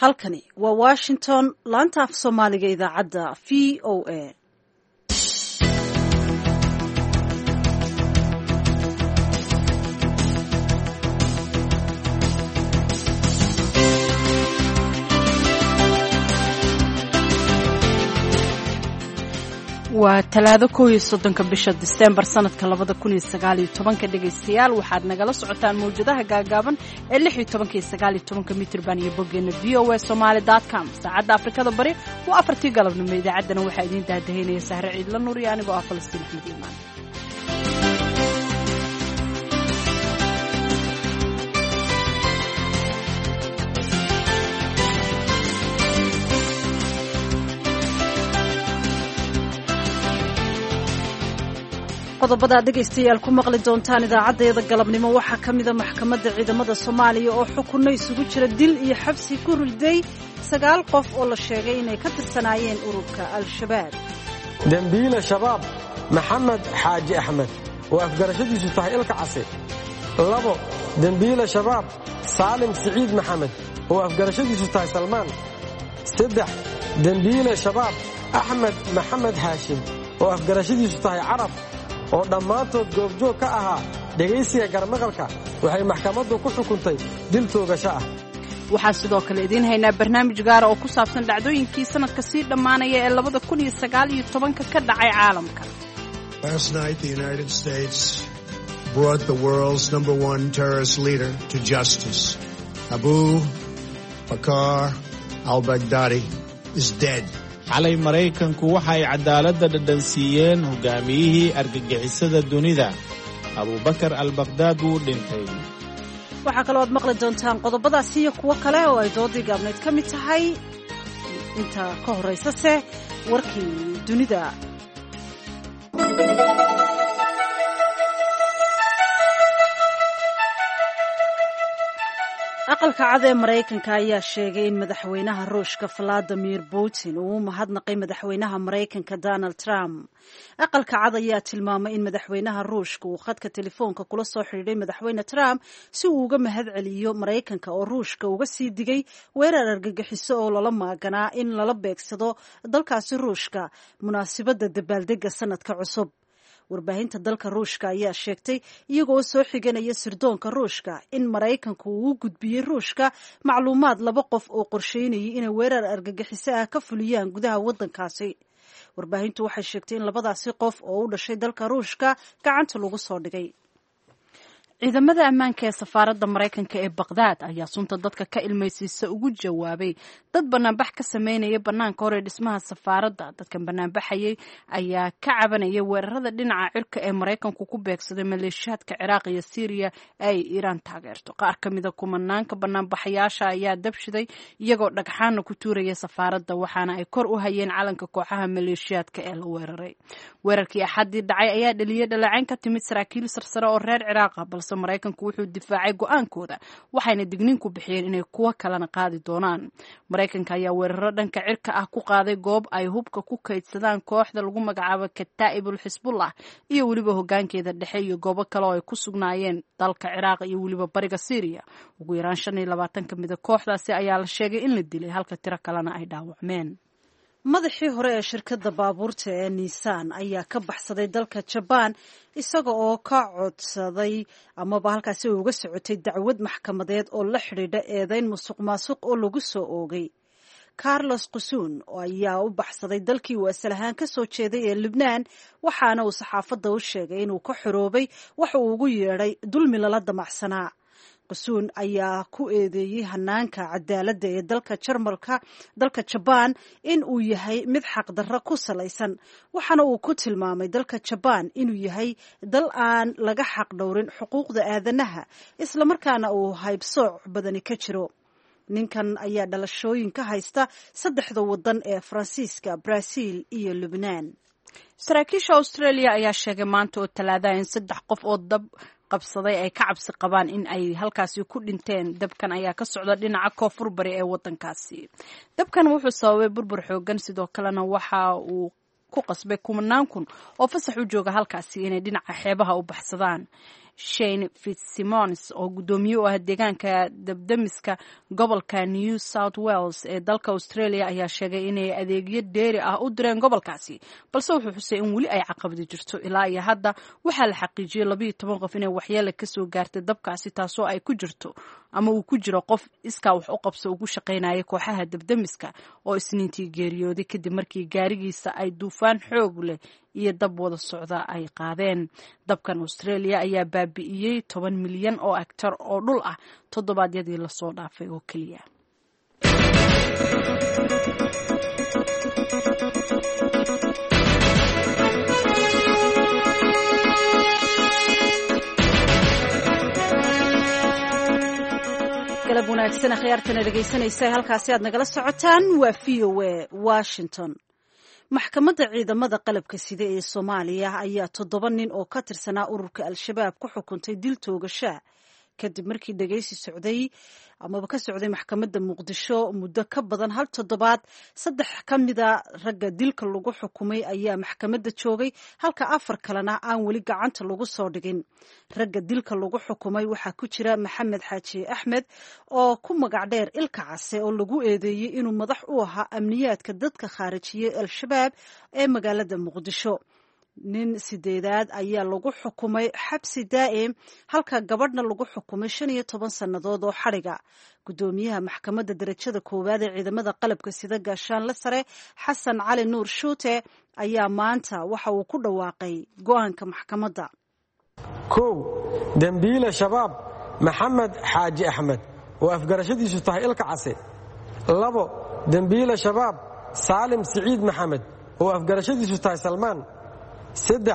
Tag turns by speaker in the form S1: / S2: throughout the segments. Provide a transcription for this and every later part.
S1: Halkani waa Washington, laanta af Soomaaliga, idaacadda VOA.
S2: Waa Talaado, 31-ka bisha Disembar sanadka 2019-ka. Dhegaystayaal, waxaad nagala socotaan mawjadaha gaagaaban ee 16-ka iyo 19-ka mitrban iyo boggeena voasomali.com. Saacadda Afrikada Bari waa 4-tii galabnimo. Idaacaddana waxaa idiin daadahaynaya Sahre Ciidla Nuur iyo anigoo ah Falastiin Axmed Iimaan.
S1: Qodobada dhegaystayaal ku maqli doontaan idaacaddayada galabnimo waxaa ka mida maxkamadda ciidamada Soomaaliya oo xukunno isugu jira dil iyo xabsi ku riday sagaal qof oo la sheegay inay ka tirsanaayeen ururka Al-Shabaab.
S3: Dembiile Shabaab Maxamed Xaaji Axmed oo afgarashadiisu tahay Ilka Case. Labo, dembiile Shabaab Saalim Siciid Maxamed oo afgarashadiisu tahay Salmaan. Saddex, dembiile Shabaab Axmed Maxamed Haashim oo afgarashadiisu tahay Carab, oo dhammaantood goobjoog ka ahaa dhegaysiga garmaqalka, waxay maxkamaddu ku xukuntay dil toogasho ah.
S2: Waxaa sidoo kale idiin haynaa barnaamij gaara oo ku saabsan dhacdooyinkii sanadka sii dhammaanaya ee 2019-ka ka dhacay caalamka.
S4: Last night the United States brought the world's number one terrorist leader to justice. Abu Bakr al-Baghdadi is dead.
S5: Xalay Maraykanku waxa ay cadaaladda dhadhansiiyeen hogaamiyihii argagixisada dunida, Abuubakar Albaqhdaad, wuu dhintay.
S1: Waxaa kaloo aad maqli doontaan qodobadaasi iyo kuwo kale oo ay doodii gaabnayd ka mid tahay. Inta ka horraysase, warkii dunida. Aqalka Cad ee Maraykanka ayaa sheegay in madaxweynaha Ruushka Valadimir Putin uu u mahadnaqay madaxweynaha Maraykanka Donald Trump. Aqalka Cad ayaa tilmaamay in madaxweynaha Ruushka uu khadka telefoonka kula soo xidhiidhay madaxweyne Trump si uu uga mahad celiyo Maraykanka oo Ruushka uga sii digay weerar argagixiso oo lala maaganaa in lala beegsado dalkaasi Ruushka munaasibadda dabaaldega sanadka cusub. Warbaahinta dalka Ruushka ayaa sheegtay, iyagoo soo xiganaya sirdoonka Ruushka, in Maraykanku uu u gudbiyey Ruushka macluumaad laba qof oo qorsheynayay inay weerar argagixiso ah ka fuliyaan gudaha waddankaasi. Warbaahintu waxay sheegtay in labadaasi qof oo u dhashay dalka Ruushka gacanta lagu soo dhigay.
S2: Ciidamada ammaanka ee safaaradda Maraykanka ee Baqhdaad ayaa sunta dadka ka ilmaysiisa ugu jawaabay dad banaanbax ka sameynaya bannaanka hore dhismaha safaaradda. Dadkan banaanbaxayay ayaa ka cabanaya weerarada dhinaca cirka ee Maraykanku ku beegsaday maleeshiyaadka Ciraaq iyo Siiriya ee ay Iiraan taageerto. Qaar ka mida kumanaanka banaanbaxayaasha ayaa dabshiday iyagoo dhagxaana ku tuuraya safaaradda, waxaana ay kor u hayeen calanka kooxaha maleeshiyaadka ee la weeraray. Weerarkii Axaddii dhacay ayaa dhaliyay dhaleecayn ka timid saraakiil sarsare oo reer Ciraaqa, balse Maraykanku wuxuu difaacay go-aankooda, waxayna digniin ku bixiyeen inay kuwo kalena qaadi doonaan. Maraykanka ayaa weeraro dhanka cirka ah ku qaaday goob ay hubka ku kaydsadaan kooxda lagu magacaabo Kataa'ibul Xisbullah iyo weliba hogaankeeda dhexe iyo goobo kale oo ay ku sugnaayeen dalka Ciraaq iyo weliba bariga Siiriya. Ugu yaraan 25 ka mida kooxdaasi ayaa la sheegay in la dilay, halka tiro kalena ay dhaawacmeen.
S1: Madaxii hore ee shirkadda baabuurta ee Nissan ayaa ka baxsaday dalka Jabaan, isaga oo ka codsaday amaba halkaasi uga socotay dacwad maxkamadeed oo la xidhiidha eedeyn musuq maasuq oo lagu soo oogay. Carlos Qusuun ayaa u baxsaday dalkii uu asal ahaan ka soo jeeday ee Libnaan, waxaana uu saxaafadda u sheegay inuu ka xoroobay waxa uu ugu yeedhay dulmi lala damacsanaa. Qusuun ayaa ku eedeeyey hanaanka cadaaladda ee dalka Jarmalka, dalka Jabaan, in uu yahay mid xaqdarro ku salaysan, waxaana uu ku tilmaamay dalka Jabaan inuu yahay dal aan laga xaq dhowrin xuquuqda aadanaha, islamarkaana uu haybsooc badani ka jiro. Ninkan ayaa dhalashooyin ka haysta saddexda waddan ee Faransiiska, Brazil iyo Lubnaan.
S2: Saraakiisha Australia ayaa sheegay maanta oo Talaadaha in saddex qof oo dab qabsaday ay ka cabsi qabaan in ay halkaasi ku dhinteen. Dabkan ayaa ka socda dhinaca koonfur bari ee waddankaasi. Dabkan wuxuu sababay burbur xoogan, sidoo kalena waxa uu ku qasbay kumanaan kun oo fasax u jooga halkaasi inay dhinaca xeebaha u baxsadaan. Shane Fitzsimons oo guddoomiye u ah deegaanka dabdamiska gobolka New South Wales ee dalka Australia ayaa sheegay inay adeegyo dheeri ah u direen gobolkaasi, balse wuxuu xusay in weli ay caqabadi jirto. Ilaa iyo hadda waxaa la xaqiijiyey 12 qof inay waxyeele kasoo gaartay dabkaasi, taasoo ay ku jirto ama uu ku jiro qof iskaa wax u qabso ugu shaqaynaya kooxaha dabdamiska oo Isniintii geeriyooday kadib markii gaarigiisa ay duufaan xoog leh iyo dab wada socda ay qaadeen. Dabkan Australia ayaa baabi'iyey 10 milyan oo hektar oo dhul ah toddobaadyadii lasoo dhaafay oo keliya.
S1: Galab wanaagsan akhyaartana dhegaysanaysa, halkaasi aad nagala socotaan waa v o a Washington. Maxkamadda ciidamada qalabka sida ee Soomaaliya ayaa 7 nin oo ka tirsanaa ururka Al-Shabaab ku xukuntay dil toogashaa kadib markii dhegaysi socday amaba ka socday maxkamadda Muqdisho muddo ka badan hal toddobaad. 3 ka mida ragga dilka lagu xukumay ayaa maxkamadda joogay, halka 4 kalena aan weli gacanta lagu soo dhigin. Ragga dilka lagu xukumay waxaa ku jira Maxamed Xaaji Axmed oo ku magac dheer Ilka Case, oo lagu eedeeyey inuu madax u ahaa amniyaadka dadka khaarijiyey Al-Shabaab ee magaalada Muqdisho. Nin 8aad ayaa lagu xukumay xabsi daa'im, halka gabadhna lagu xukumay 15 sannadood oo xadhiga. Guddoomiyaha maxkamadda darajada koowaad ee ciidamada qalabka sida, gaashaanle sare Xasan Cali Nuur Shuute, ayaa maanta waxa uu ku dhawaaqay go-aanka maxkamadda.
S3: 1, dembiile Shabaab Maxamed Xaaji Axmed oo afgarashadiisu tahay Ilka Case. 2, dembiile Shabaab Saalim Siciid Maxamed oo afgarashadiisu tahay Salmaan. 3,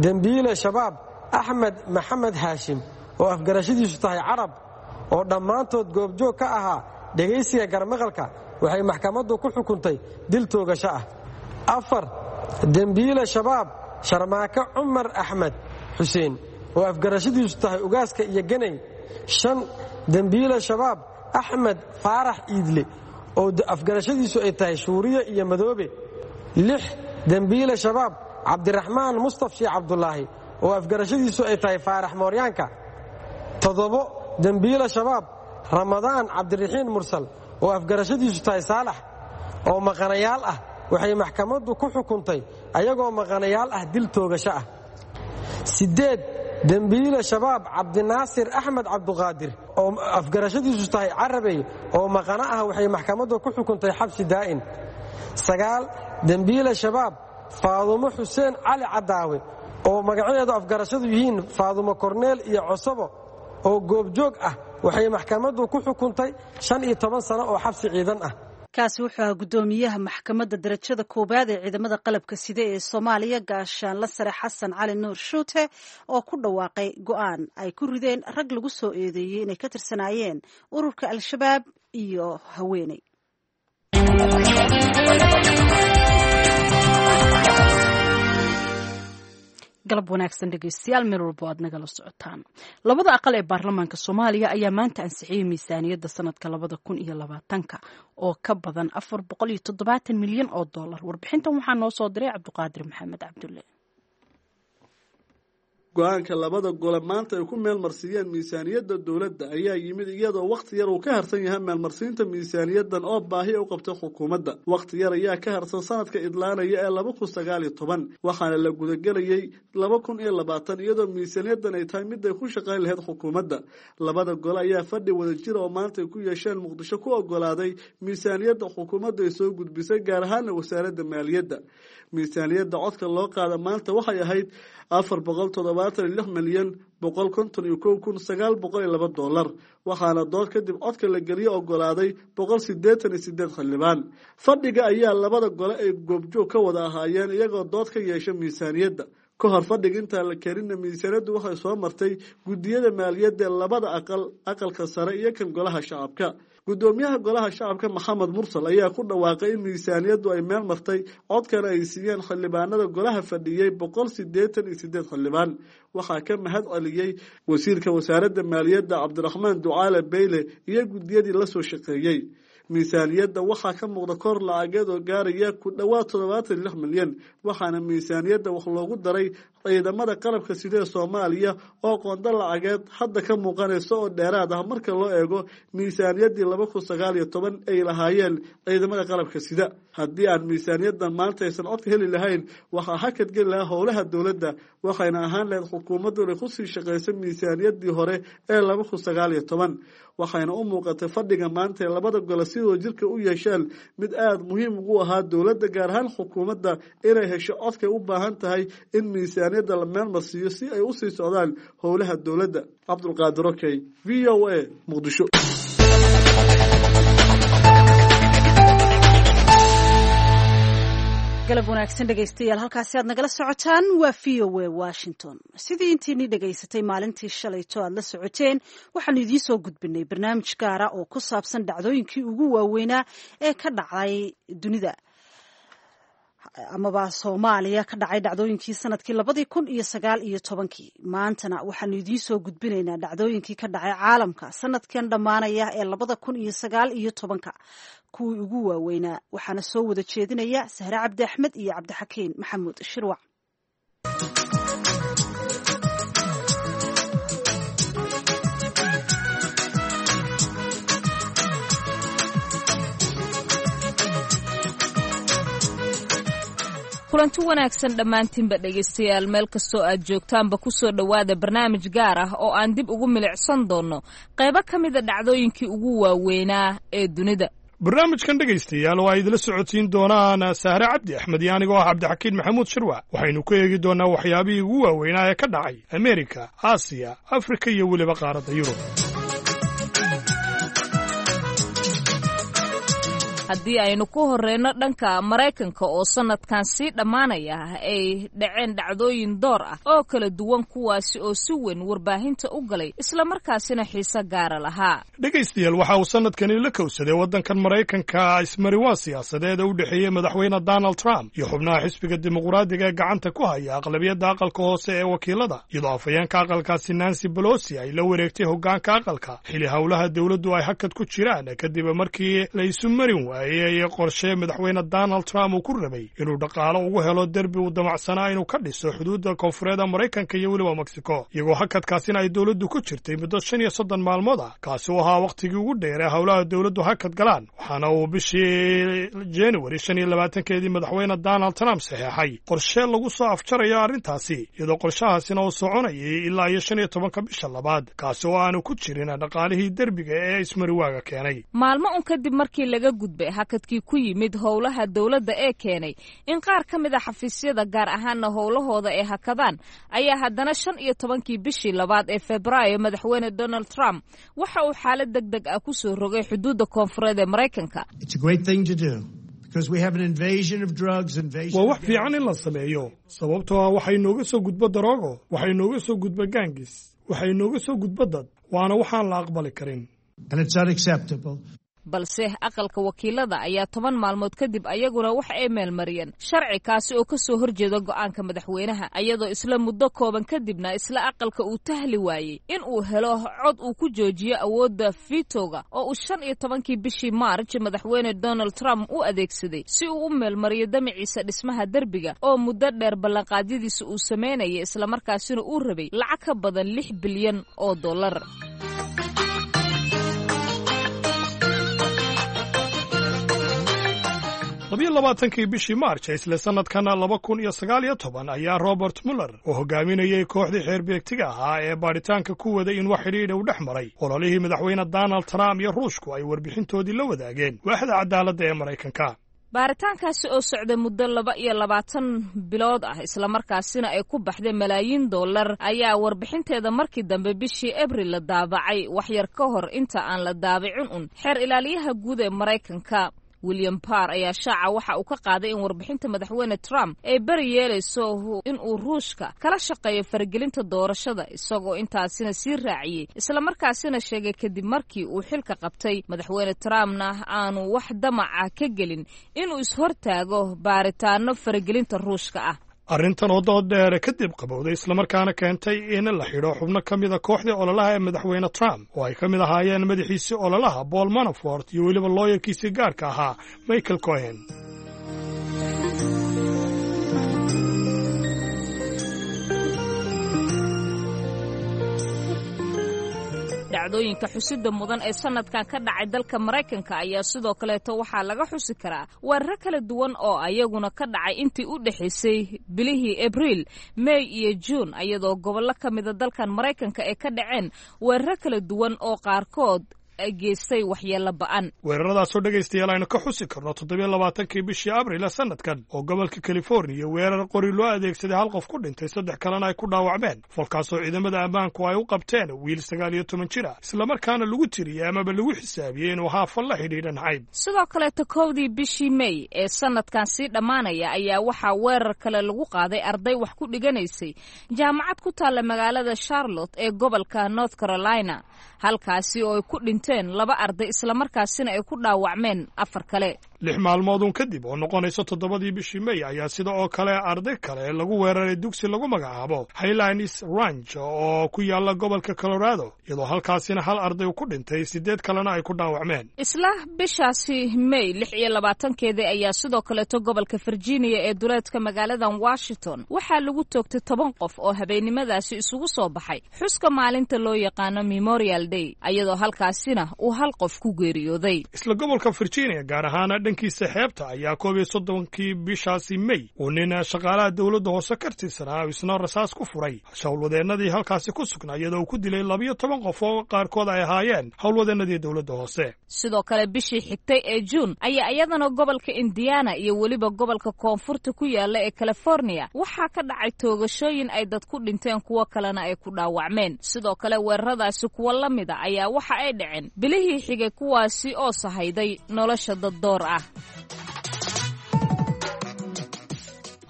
S3: dembiile Shabaab Axmed Maxamed Haashim oo afgarashadiisu tahay Carab, oo dhammaantood goobjoog ka ahaa dhegaysiga garmaqalka, waxay maxkamaddu ku xukuntay dil toogasho ah. 4, dembiile Shabaab Sharmaake Cumar Axmed Xuseen oo afgarashadiisu tahay Ugaaska iyo Ganay. 5, dembiile Shabaab Axmed Faarax Iidle oo afgarashadiisu ay tahay Shuuriye iyo Madoobe. 6, dembiile Shabaab Cabdiraxmaan Mustaf Sheekh Cabdulaahi oo afgarashadiisu ay tahay Faarax Mooryaanka. 7, dembiile Shabaab Ramadaan Cabdiraxiin Mursal oo afgarashadiisu tahay Saalax, oo maqanayaal ah, waxay maxkamaddu ku xukuntay ayagoo maqanayaal ah dil toogasho ah. 8, dembiile Shabaab Cabdinaasir Axmed Cabduqaadir oo afgarashadiisu tahay Carabey, oo maqano ah, waxay maxkamaddu ku xukuntay xabsi daa'in. 9, dembiile Shabaab Faadumo Xuseen Cali Cadaawe oo magacadeedu afgarashadu yihiin Faadumo Korneel iyo Cosabo, oo goobjoog ah, waxay maxkamaddu ku xukuntay 15 sano oo xabsi ciidan ah.
S1: Kaasi wuxuu ahaa guddoomiyaha maxkamadda darajada koowaad ee ciidamada qalabka sida ee Soomaaliya, gaashaanla sare Xasan Cali Nuur Shuute, oo ku dhawaaqay go-aan ay ku rideen rag lagu soo eedeeyey inay ka tirsanaayeen ururka Al-Shabaab iyo haweeney.
S2: Galab wanaagsan dhegeystayaal, meel walbo aad nagala socotaan. Labada aqal ee baarlamaanka Soomaaliya ayaa maanta ansixiyey miisaaniyadda sanadka 2020-ka oo ka badan 470 milyan oo dollar. Warbixintan waxaa noo soo diray Cabduqaadir Maxamed Cabdulle.
S6: Go-aanka labada gole maanta ay ku meelmarsiiyeen miisaaniyadda dowladda ayaa yimid iyadoo wakhti yar uu ka harsan yahay meelmarsiinta miisaaniyaddan oo baahi u qabtay xukuumadda. Wakhti yar ayaa ka harsan sanadka idlaanaya ee 2019, waxaana la gudagelayay 2020, iyadoo miisaaniyaddan ay tahay mid ay ku shaqayn lahayd xukuumadda. Labada gole ayaa fadhi wadajira oo maanta ay ku yeesheen Muqdisho ku ogolaaday miisaaniyadda xukuumaddu ay soo gudbisay, gaar ahaana wasaaradda maaliyadda. Miisaaniyadda codka loo qaada maanta waxay ahayd $476,151,902, waxaana dood kadib codka la geliye ogolaaday 188 xildhibaan. Fadhiga ayaa labada gole ay goobjoog ka wada ahaayeen, iyagoo dood ka yeesha miisaaniyadda. Ka hor fadhiga intaan la keeninna, miisaaniyaddu waxay soo martay guddiyada maaliyadda ee labada aqal, aqalka sare iyo kan golaha shacabka. Guddoomiyaha golaha shacabka Maxamed Mursal ayaa ku dhawaaqay in miisaaniyaddu ay meel martay, codkana ay siiyeen xildhibaanada golaha fadhiyey 188 xildhibaan. Waxaa ka mahad celiyey wasiirka wasaaradda maaliyadda Cabdiraxmaan Ducaale Beyle iyo guddiyadii la soo shaqeeyey. Miisaaniyadda waxaa ka muuqda kor lacageed oo gaaraya ku dhowaad 76 milyan, waxaana miisaaniyadda wax loogu daray Ciidamada qalabka sida ee Soomaaliya oo qondo lacageed hadda ka muuqanaysa oo dheeraad ah marka loo eego miisaaniyaddii 2019 ay lahaayeen ciidamada qalabka sida. Haddii aan miisaaniyaddan maanta aysan codka heli lahayn, waxaa hakad geli lahaa howlaha dowladda, waxayna ahaan lahayd xukuumaddu inay kusii shaqayso miisaaniyaddii hore ee 2019. Waxayna u muuqatay fadhiga maanta ee labada gole sidoo jirka u yeesheen mid aada muhiim ugu ahaa dowladda, gaar ahaan xukuumadda, inay hesho codkay u baahan tahay in miisaaniyadda la meelmarsiiyo si ay usii socdaan howlaha dowladda. Cabdulqaadir Okey, VOA, Muqdisho.
S1: Galab wanaagsan dhegaystayaal, halkaasi aad nagala socotaan waa VOA Washington. Sidii intiinii dhegaysatay maalintii shalayto aad la socoteen, waxaanu idiin soo gudbinay barnaamij gaara oo ku saabsan dhacdooyinkii ugu waaweynaa ee ka dhacay dunida amaba Soomaaliya ka dhacay, dhacdooyinkii sanadkii 2019-kii. Maantana waxaanu idiin soo gudbinaynaa dhacdooyinkii ka dhacay caalamka sanadkan dhammaanaya ee 2019-ka kuwii ugu waaweynaa. Waxaana soo wada jeedinaya Sahre Cabdi Axmed iyo Cabdixakiin Maxamuud Shirwac.
S7: Kulanti wanaagsan dhammaantiinba dhegaystayaal, meel kastoo aad joogtaanba kusoo dhowaada barnaamij gaar ah oo aan dib ugu milicsan doonno qaybo ka mida dhacdooyinkii ugu waaweynaa ee dunida.
S8: Barnaamijkan dhegaystayaal oo ay idila socodsiin doonaan Sahre Cabdi Axmed iyo anigoo ah Cabdixakiin Maxamuud Shirwac, waxaynu ku eegi doonnaa waxyaabihii ugu waaweynaa ee ka dhacay Ameerika, Aasiya, Afrika iyo weliba qaaradda Yurub.
S7: Haddii aynu ku horeyno dhanka Maraykanka oo sanadkan sii dhammaanaya ay dhaceen dhacdooyin door ah oo kala duwan, kuwaasi oo si weyn warbaahinta u galay islamarkaasina xiise gaara lahaa.
S8: Dhegaystayaal, waxa uu sanadkani la kowsaday waddankan Maraykanka ismariwaa siyaasadeed u dhexeeyey madaxweyne Donald Trump iyo xubnaha xisbiga Dimuqraadiga ee gacanta ku haya aqlabiyadda aqalka hoose ee wakiilada, iyadoo afhayeenka aqalkaasi Nancy Pelosi ay la wareegtay hoggaanka aqalka xili howlaha dowladdu ay hakad ku jiraan kadib markii la isu marin waayey qorshe madaxweyne Donald Trump uu ku rabay inuu dhaqaalo ugu helo derbi uu damacsanaa inuu ka dhiso xuduudda koonfureed Maraykanka iyo weliba Mexico, iyagoo hakadkaasina ay dowladdu ku jirtay muddo 35 maalmood ah, kaasi u ahaa wakhtigii ugu dheeree howlaha dowladdu hakad galaan. Waxaana uu bishii January 25-keedii madaxweyne Donald Trump saxeexay qorshe lagu soo afjarayo arrintaasi, iyadoo qorshahaasina uu soconayay ilaa iyo 15-ka bisha labaad, kaasi oo aanu ku jirin dhaqaalihii derbiga ee ismariwaaga keenay.
S7: Maalmo un kadib markii laga gudbay hakadkii ku yimid howlaha dowladda ee keenay in qaar ka mid a xafiisyada gaar ahaana howlahooda ay hakadaan, ayaa haddana 15-kii bishii labaad ee Febraayo madaxweyne Donald Trump waxa uu xaalad deg deg ah ku soo rogay xuduudda koonfureed ee Maraykanka.
S8: Waa wax fiican in la sameeyo, sababtoo ah waxay nooga soo gudbo daroogo, waxay nooga soo gudbo gaangis, waxay nooga soo gudbo dad, waana waxaan la aqbali karin.
S7: Balse aqalka wakiilada ayaa 10 maalmood kadib ayaguna waxa ay meelmariyeen sharci kaasi oo kasoo horjeeda go'aanka madaxweynaha, ayadoo isla muddo kooban kadibna isla aqalka uu tahli waayey in uu helo cod uu ku joojiyo awoodda vitoga oo uu 15-kii bishii Maarj madaxweyne Donald Trump u adeegsaday si uu u meelmariyo damaciisa dhismaha derbiga oo muddo dheer ballanqaadyadiisa uu sameynayay, islamarkaasina uu rabay lacag ka badan 6 bilyan oo dollar.
S8: 22-kii bishii Maarj isla sannadkan 2019 ayaa Robert Muller oo hogaaminayay kooxdii xeerbeegtiga ahaa ee baadhitaanka ku waday in wax xidhiidha u dhex maray ololihii madaxweyne Donald Trump iyo Ruushku ay warbixintoodii la wadaageen waaxda cadaaladda ee Maraykanka.
S7: Baaritaankaasi oo socday muddo 22 bilood ah, islamarkaasina ay ku baxday malaayiin dollar, ayaa warbixinteeda markii dambe bishii Abril la daabacay. Waxyar ka hor inta aan la daabicin un, xeer ilaaliyaha guud ee Maraykanka William Barr ayaa shaaca waxa uu ka qaaday in warbixinta madaxweyne Trump ay beri yeelayso in uu Ruushka kala shaqeeyo faragelinta doorashada, isagoo intaasina sii raaciyey islamarkaasina sheegay kadib markii uu xilka qabtay madaxweyne Trumpna aanu wax damaca ka gelin inuu ishortaago baaritaano faragelinta Ruushka ah.
S8: Arrintan oo dood dheere kadib qabowday, islamarkaana keentay in la xidho xubno ka mida kooxdii ololaha ee madaxweyne Trump oo ay ka mid ahaayeen madaxiisii ololaha Paul Manafort iyo weliba looyarkiisii gaarka ahaa Michael Cohen.
S7: Dhacdooyinka xusida mudan ee sanadkan ka dhacay dalka Maraykanka ayaa sidoo kaleeto waxaa laga xusi karaa weeraro kala duwan oo ayaguna ka dhacay intii u dhexaysay bilihii Abriil, May iyo Juun, iyadoo gobollo ka mida dalkan Maraykanka ay ka dhaceen weeraro kala duwan oo qaarkood geystay waxyeello ba'an.
S8: Weeraradaasoo, dhegaystayaal, aynu ka xusi karno 27-kii bishii Abril ee sanadkan oo gobolka Californiya weerar qori loo adeegsaday hal qof ku dhintay, saddex kalena ay ku dhaawacmeen, falkaasoo ciidamada ammaanku ay u qabteen wiil 19 jir ah, islamarkaana lagu tiriyey amaba lagu xisaabiyey inuu haafal la xidhiidha nacayb.
S7: Sidoo kaleeto, 1dii bishii May ee sanadkan sii dhammaanaya ayaa waxaa weerar kale lagu qaaday arday wax ku dhiganaysay jaamacad ku taalla magaalada Charlotte ee gobolka North Carolina, halkaasi oo ay ku dhinteen laba arday, islamarkaasina ay ku dhaawacmeen afar kale.
S8: 6 maalmoodun kadib, oo noqonaysa 7dii bishii May, ayaa sida oo kale arday kale lagu weeraray dugsi lagu magacaabo Highlands Ranch oo ku yaala gobolka Colorado, iyadoo halkaasina hal arday ku dhintay, siddeed kalena ay ku dhaawacmeen.
S7: Isla bishaasi May 26-keedii ayaa sidoo kaleeto gobolka Virginia ee duleedka magaaladan Washington waxaa lagu toogtay 10 qof oo habeennimadaasi isugu soo baxay xuska maalinta loo yaqaano Memorial Day, iyadoo halkaasina uu hal qof ku geeriyooday.
S8: Isla gobolka Virginia, gaar ahaan dhankiisa xeebta, ayaa 31-kii bishaasi May uu nin shaqaalaha dowladda hoose ka tirsanaa isna rasaas ku furay howlwadeennadii halkaasi ku sugnaa, iyadoo uu ku dilay 12 qof oo qaarkood ay ahaayeen howlwadeennadii dowladda hoose.
S7: Sidoo kale, bishii xigtay ee Juun ayaa iyadana gobolka Indiana iyo weliba gobolka koonfurta ku yaala ee California waxaa ka dhacay toogashooyin ay dad ku dhinteen, kuwo kalena ay ku dhaawacmeen. Sidoo kale, weeraradaasi kuwo la mida ayaa waxa ay dhaceen bilihii xigay, kuwaasi oo sahayday nolosha dad door ah.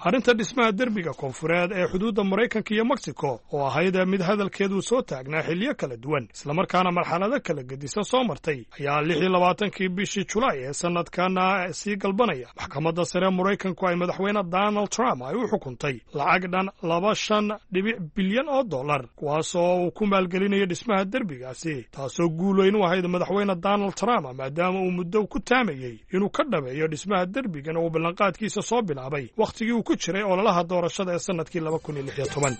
S8: Arrinta dhismaha derbiga koonfureed ee xuduudda Maraykanka iyo Mexico, oo ahayd mid hadalkeedu soo taagnaa xilliyo kala duwan, islamarkaana marxalado kala gedisan soo martay, ayaa 26-kii bishii Julaay ee sanadkana sii galbanaya maxkamadda sare Maraykanku ay madaxweyne Donald Trump ay u xukuntay lacag dhan 25 bilyan oo dollar, kuwaas oo uu ku maalgelinayo dhismaha derbigaasi, taasoo guul weyn u ahayd madaxweyne Donald Trump, maadaama uu muddo ku taamayey inuu ka dhameeyo dhismaha derbigan oo uu ballanqaadkiisa soo bilaabay wakhtigii uu ku jiray ololaha doorashada ee sanadkii 2016.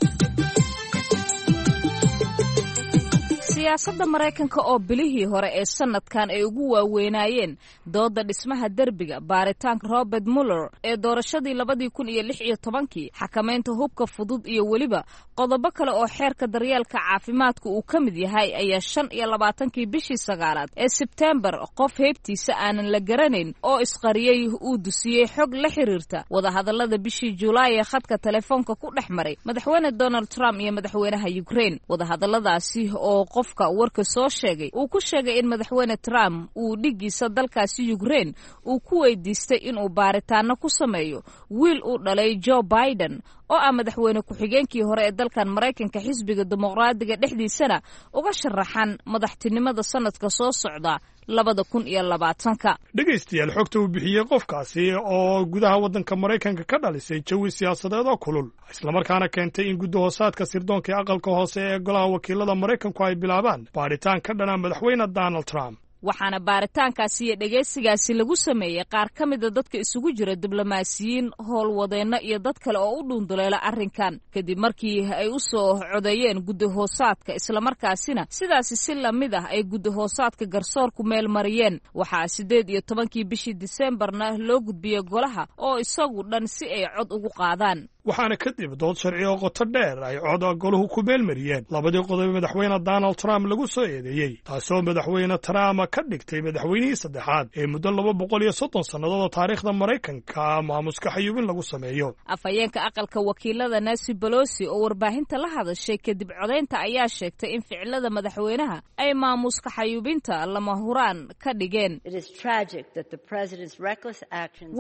S7: Siyaasadda Maraykanka oo bilihii hore ee sanadkan ay ugu waaweynaayeen dooda dhismaha derbiga, baaritaanka Robert Muller ee doorashadii 2016-kii, xakamaynta hubka fudud iyo weliba qodobo kale oo xeerka daryeelka caafimaadka uu ka mid yahay, ayaa 25-kii bishii sagaalaad ee Sebtembar qof heybtiisa aanan la garanayn oo isqariyey uu dusiyey xog la xiriirta wadahadallada bishii Julaay ee khadka telefoonka ku dhex maray madaxweyne Donald Trump iyo madaxweynaha Ukraine. Wadahadalladaasi oo qofka warka soo sheegay uu ku sheegay in madaxweyne Trump uu dhiggiisa dalkaasi Ukraine uu ku weydiistay inuu baaritaano ku sameeyo wiil uu dhalay Joe Biden, oo ah madaxweyne ku-xigeenkii hore ee dalkan Maraykanka, xisbiga Dimuqraadiga dhexdiisana uga sharaxan madaxtinimada sanadka soo socda 2020-ka.
S8: Dhegaystayaal, xogta uu bixiyey qofkaasi oo gudaha waddanka Maraykanka ka dhalisay jawi siyaasadeed oo kulul, islamarkaana keentay in guddi-hoosaadka sirdoonka ee aqalka hoose ee golaha wakiilada Maraykanku ay bilaabaan baadhitaan ka dhana madaxweyne Donald Trump.
S7: Waxaana baaritaankaasi iyo dhegaysigaasi lagu sameeyey qaar ka mida dadka isugu jira diblomaasiyiin, howlwadeenno iyo dad kale oo u dhuunduleela arrinkan, kadib markii ay u soo codeeyeen guddi hoosaadka, islamarkaasina sidaasi si lamid ah ay guddi hoosaadka garsoorku meel mariyeen. Waxaa 18-kii bishii Diseembarna loo gudbiyey golaha oo isagu dhan si ay cod ugu qaadaan.
S8: Waxaana kadib dood sharci oo qoto dheer ay cod goluhu ku meelmariyeen labadii qodob madaxweyne Donald Trump lagu soo eedeeyey, taasoo madaxweyne Trump ka dhigtay madaxweynihii saddexaad ee muddo 230 sannadood oo taariikhda Maraykanka maamuska xayuubin lagu sameeyo.
S7: Afhayeenka aqalka wakiilada Nancy Pelosi oo warbaahinta la hadashay kadib codaynta ayaa sheegtay in ficilada madaxweynaha ay maamuska xayuubinta lama huraan ka dhigeen.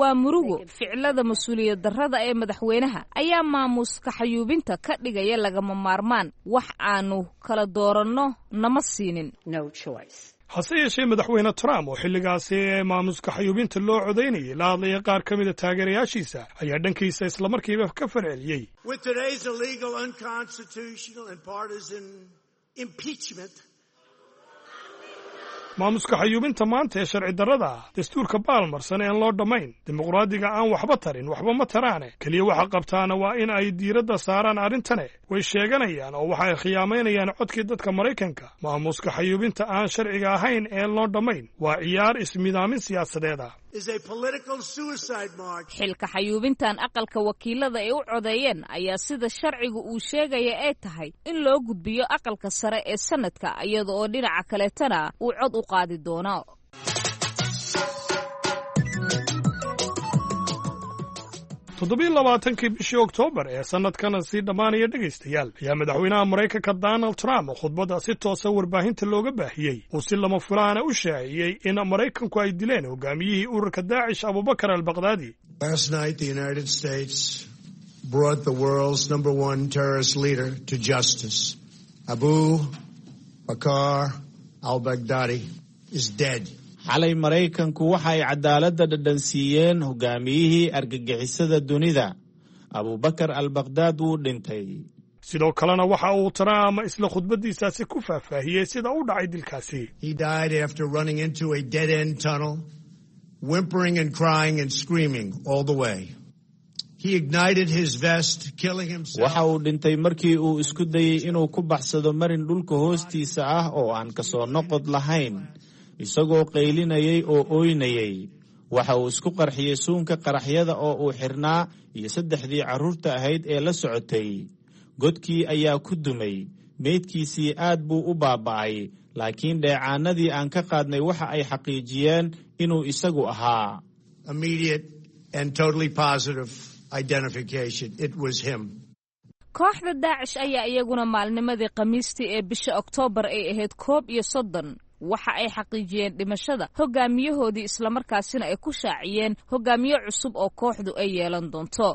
S7: Waa murugo, ficilada mas-uuliyad darrada ee madaxweynaha ayaa maamuska xayuubinta ka dhigaya lagama maarmaan. Wax aanu kala dooranno nama siinin.
S8: Hase yeeshee, madaxweyne Trump oo xilligaasi ee maamuska xayuubinta loo codaynayay la hadlaya qaar ka mida taageerayaashiisa ayaa dhankiisa islamarkiiba ka falceliyey.
S4: With today's illegal, unconstitutional, and partisan impeachment,
S8: Maamuska xayuubinta maanta ee sharci darrada ah, dastuurka baalmarsan een loo dhammayn, dimuqraadiga aan waxba tarin, waxba ma taraane, keliya waxa qabtaana waa in ay diiradda saaraan arrintane. Way sheeganayaan oo waxay khiyaamaynayaan codkii dadka Maraykanka. Maamuska xayuubinta aan sharciga ahayn ee loo dhammayn waa ciyaar ismidaamin siyaasadeed ah.
S7: Xilka xayuubintan aqalka wakiilada ay u codeeyeen ayaa sida sharciga uu sheegaya ay tahay in loo gudbiyo aqalka sare ee sanadka, iyada oo dhinaca kaleetana uu cod u qaadi doono.
S8: 27-kii bishii Oktoobar ee sannadkan sii dhammaanaya, dhegaystayaal, ayaa madaxweynaha Maraykanka Donald Trump khudbadda si toosa warbaahinta looga baahiyey uu si lama fulaana u shaaciyey in Maraykanku ay dileen hogaamiyihii ururka Daacish, Abubakar Albaqdaadi.
S4: Last night, the United States brought the world's number one terrorist leader to justice. Abu Bakr al-Baghdadi is dead.
S5: Xalay Maraykanku waxa ay cadaaladda dhadhansiiyeen hogaamiyihii argagixisada dunida. Abubakar Albaqdaad wuu dhintay.
S8: Sidoo kalena waxa uu Trump isla khudbaddiisaasi ku faahfaahiyey sida u dhacay dilkaasi.
S4: He died after running into a dead-end tunnel, whimpering and crying and screaming all the way. He ignited his vest, killing himself.
S5: Waxa uu dhintay markii uu isku dayey inuu ku baxsado marin dhulka hoostiisa ah oo aan kasoo noqod lahayn, isagoo qaylinayay oo ooynayay. Waxa uu isku qarxiyey suunka qaraxyada oo uu xirnaa iyo saddexdii carruurta ahayd ee la socotay. Godkii ayaa ku dumay. Meydkiisii aad buu u baaba'ay, laakiin dheecaanadii aan ka qaadnay waxa ay xaqiijiyeen inuu isagu ahaa.
S4: Immediate and totally positive identification. It was him.
S7: Kooxda Daacish ayaa iyaguna maalnimadii Khamiistii ee bisha Oktoobar ay ahayd 31 waxa ay xaqiijiyeen dhimashada hogaamiyahoodii, islamarkaasina ay ku shaaciyeen hogaamiye cusub oo kooxdu ay yeelan doonto.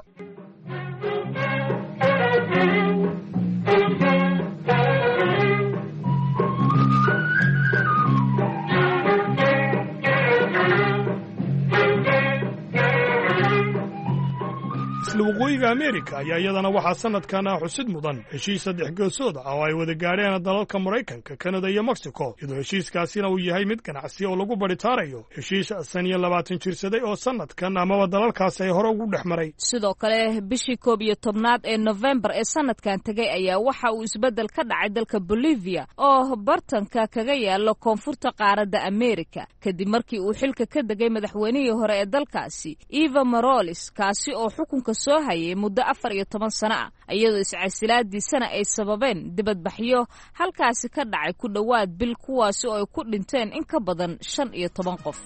S8: Isla Waqooyiga Ameerika ayaa iyadana waxaa sanadkan xusid mudan heshiis saddex geesood ah oo ay wada gaadheen dalalka Maraykanka, Kanada iyo Mexico, iyadoo heshiiskaasina uu yahay mid ganacsi oo lagu baritaarayo heshiis 25 jirsaday oo sanadkan amaba dalalkaasi ay hore ugu dhex maray.
S7: Sidoo kale bishii 11aad ee Nofembar ee sanadkan tegay ayaa waxa uu isbeddel ka dhacay dalka Bolivia oo bartanka kaga yaalo koonfurta qaaradda Ameerika, kadib markii uu xilka ka degay madaxweynihii hore ee dalkaasi Evo Morales, kaasi oo xukunka soo hayay muddo 14 sano ah, iyadoo iscasilaadiisana ay sababeen dibadbaxyo halkaasi ka dhacay ku dhowaad bil, kuwaasi oo ay ku dhinteen in ka badan 15 qof.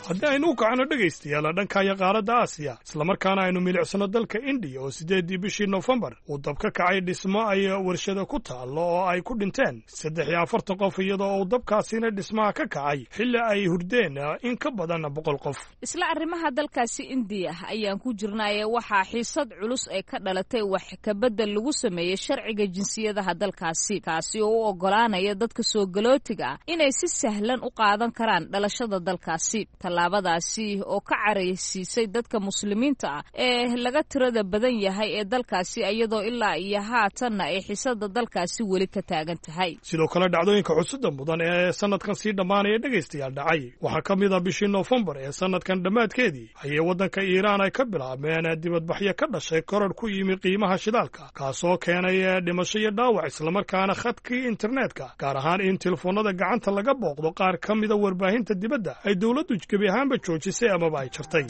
S8: Haddii aynu u kacno, dhegaystayaal, dhankaaya qaaradda Aasiya, islamarkaana aynu milicsano dalka Indiya oo 8-dii bishii Nofembar uu dab ka kacay dhismo ay warshada ku taallo oo ay ku dhinteen 43 qof, iyadoo uu dabkaasina dhismaha ka kacay xilli ay hurdeen in ka badan 100 qof.
S7: Isla arrimaha dalkaasi Indiya ayaan ku jirnaaye, waxaa xiisad culus ee ka dhalatay wax kabedel lagu sameeyey sharciga jinsiyadaha dalkaasi, kaasi oo u oggolaanaya dadka soo galootiga ah inay si sahlan u qaadan karaan dhalashada dalkaasi. Tallaabadaasi oo ka caraysiisay dadka Muslimiinta ah ee laga tirada badan yahay ee dalkaasi, iyadoo ilaa iyo haatanna ay xiisada dalkaasi weli ka taagan tahay.
S8: Sidoo kale dhacdooyinka xusida mudan ee sanadkan sii dhammaanaya, dhegaystayaal, dhacay waxaa ka mid ah bishii Noofembar ee sanadkan dhammaadkeedii ayay waddanka Iiraan ay ka bilaabmeen dibadbaxyo ka dhashay koror ku yimi qiimaha shidaalka, kaasoo keenay dhimasho iyo dhaawac, islamarkaana khadkii internetka, gaar ahaan in telefoonada gacanta laga booqdo qaar ka mida warbaahinta dibadda, ay dowladdu gebi ahaanba joojisay amaba ay jartay.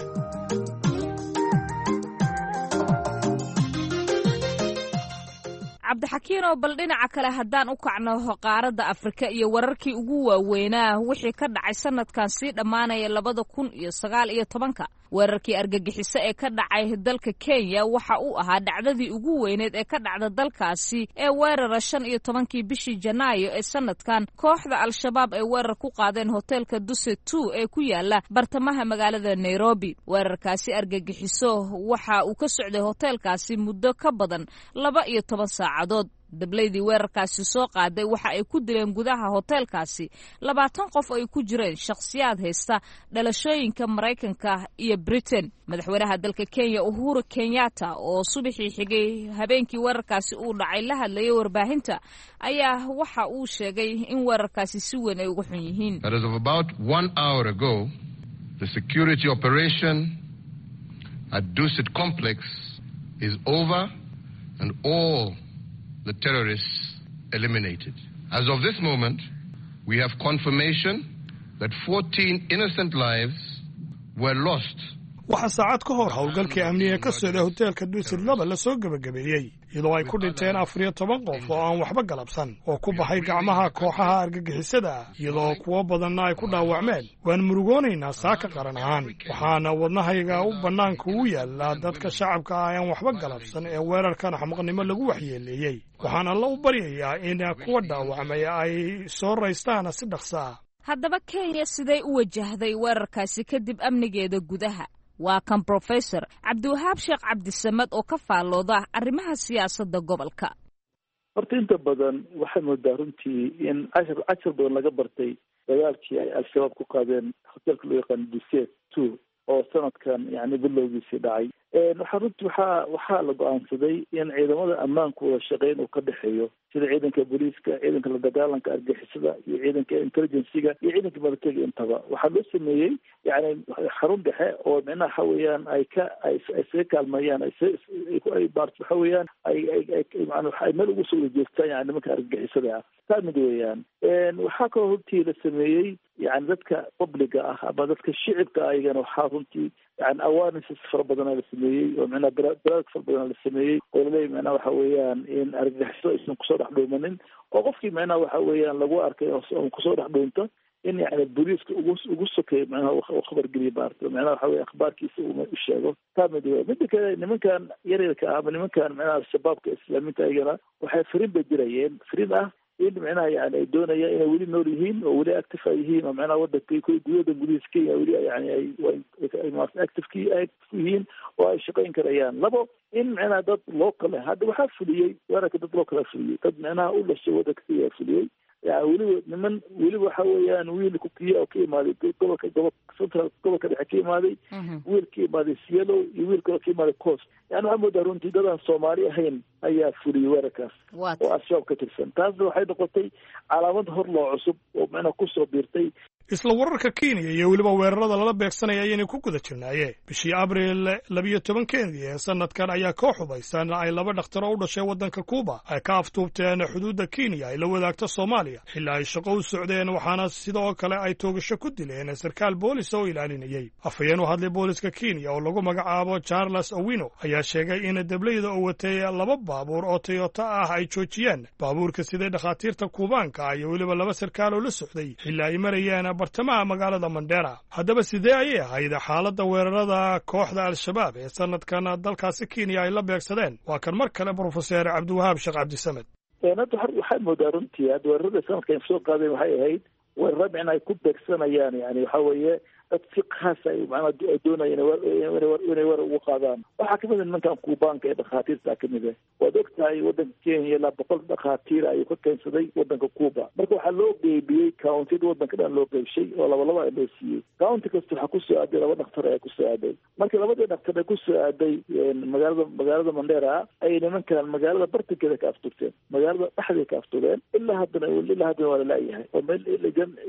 S7: Cabdixakiin, oo bal dhinaca kale haddaan u kacno qaaradda Afrika iyo wararkii ugu waaweynaa wixii ka dhacay sanadkan sii dhammaanaya 2019-ka, weerarkii argagixiso ee ka dhacay dalka Kenya waxa uu ahaa dhacdadii ugu weyneed ee ka dhacda dalkaasi ee weerara 15-kii bishii Janaayo ee sanadkan kooxda Al-Shabaab ay weerar ku qaadeen hoteelka Duset Two ee ku yaala bartamaha magaalada Nairobi. Weerarkaasi argagixiso waxa uu ka socday hoteelkaasi muddo ka badan 12 saacadood. Dablaydii weerarkaasi soo qaaday waxa ay ku dileen gudaha hoteelkaasi 20 qof ay ku jireen shakhsiyaad haysta dhalashooyinka Maraykanka iyo Britain. Madaxweynaha dalka Kenya Uhuru Kenyatta oo subaxii xigay habeenkii weerarkaasi uu dhacay la hadlayay warbaahinta ayaa waxa uu sheegay in weerarkaasi si weyn ay uga xun yihiin.
S9: That as of about 1 hour ago, the security operation at Dusit Complex is over and all the terrorists eliminated. As of this moment, we have confirmation that 14 innocent lives were lost.
S8: Waxaa saacad ka hor howlgalkii amniga ka socday hoteelka Dusit 2 la soo gebagabeeyey, iyadoo ay ku dhinteen 14 qof oo aan waxba galabsan oo ku baxay gacmaha kooxaha argagixisada ah, iyadoo kuwo badanna ay ku dhaawacmeen. Waan murugoonaynaa saaka qaran ahaan, waxaana wadnahayga u bannaanka u yaallaa dadka shacabka ah aan waxba galabsan ee weerarkan axmaqnimo lagu waxyeeleeyey. Waxaan Alla u baryayaa in kuwa dhaawacmay ay soo raystaan si dhaqso ah.
S7: Haddaba Kenya siday u wajahday weerarkaasi kadib amnigeeda gudaha? Waa kan Professor Cabdiwahaab Sheekh Cabdisamad oo ka faallooda arrimaha siyaasadda gobolka.
S10: Horta inta badan waxay moodaa runtii in cashar badan laga bartay dagaalkii ay Al-Shabaab ku qaadeen hoteelka loo yaqaano Dusit 2 oo sanadkan yani bilowgiisii dhacay. Waxaa runtii waxaa la go-aansaday in ciidamada ammaanku wada shaqeyn uu ka dhexeeyo, sida ciidanka booliiska, ciidanka la dagaalanka argixisada iyo ciidanka intelligencyga iyo ciidanka militariga. Intaba waxaa loo sameeyey yani xarun dhexe oo micnaha waxa weeyaan ay ka ay isaga kaalmeeyaan, ay waxa weeyaan ay meel ugu soo wada jeestaan yani nimanka argagixisada ah. Taa mid weeyaan. Waxaa kaloo runtii la sameeyey yani dadka publiga ah ama dadka shicibka ayagana waxaa runtii yani awarenesses fara badana la sameeyey oo micnaha baraarug fara badana la sameeyey oo laleeyahy micnaha waxa weeyaan in argagixiso aysan kusoo dhex dhuumanin, oo qofkii micnaha waxa weeyaan lagu arkay oo kusoo dhex dhuunto in yani booliiska ugu sokeeyo micnaha uu khabar geliyo maarata, micnaha waxa weye akhbaarkiisa uu u sheego. Taa mid weya. Midda kale, nimankan yaryarka ah ama nimankan micnaha Al-Shabaabka Islaamiinta ayagana waxay fariin bay dirayeen, fariin ah in micnaha yani ay doonayaan inay weli nool yihiin oo weli active ay yihiin oo micnaha wadanka gudaha gudihiisa Kenya weli yani ay active yihiin oo ay shaqayn karayaan. Labo, in micnaha dad local ah hadda waxaa fuliyey weerarka, dad local fuliyey, dad micnaha u dhashay wadanka Kenya fuliyey. Yani weliba niman weliba waxa weeyaan wiil Kukiya oo ka imaaday gobolka central, gobolka dhexe ka imaaday, wiil ka imaaday Isiolo iyo wiil kaloo ka imaaday Coast. Yani waxaa moodaa runtii dad aan Soomaali ahayn ayaa fuliyey weerarkaas oo Al-Shabaab ka tirsan. Taasna waxay noqotay calaamad hor loo cusub oo macnaha kusoo biirtay.
S8: Isla wararka Kenya iyo weliba weerarada lala beegsanaya ayaynay ku guda jirnaaye, bishii Abriil 12-keedii ee sanadkan ayaa koox hubaysan ay laba dhakhtar oo u dhashay waddanka Kuuba ay ka aftuubteen xuduudda Kenya ay la wadaagto Soomaaliya xilli ay shaqo u socdeen, waxaana sidoo kale ay toogasho ku dileen sarkaal boolis oo ilaalinayey. Afhayeen u hadlay booliska Kenya oo lagu magacaabo Charles Owino ayaa sheegay in deblayda oo watay laba baabuur oo Toyota ah ay joojiyeen baabuurka siday dhakhaatiirta Kuubaanka iyo weliba laba sarkaal oo la socday xilli ay marayeen bartamaha magaalada Mandera. Haddaba sidee ayay ahayd xaaladda weerarada kooxda Al-Shabaab ee sanadkan dalkaasi Kenya ay la beegsadeen? Waa kan mar kale Profeser Cabdiwahaab Sheekh Cabdisamed.
S10: Hadda waxaad moodaa runtii hadda weerarada sanadkan soo qaadeen waxay ahayd weeraro micna ay ku beegsanayaan yani waxa weeye dad si khaas ay macnaha ay doonayeen inay weerar ugu qaadaan. Waxaa kamid ah nimankan Kuubaanka ee dhakhaatiirta kamid ah. Waad og tahay waddanka Kenya ilaa 100 dhakhaatiir ayuu ka keensaday waddanka Cuba. Marka waxaa loo qeybiyey countida waddanka dhan loo qeybshay oo laba laba loo siiyey. County kasta waxaa kusoo aaday laba dhakhtar ayaa kusoo aaday. Marka labadii dhakhtar ee kusoo aaday magaalada Mandera ayay nimankan magaalada bartankeeda ka aftugteen, magaalada dhexdeeda ka aftugeen. Ilaa haddana waa lalaayahay oo meel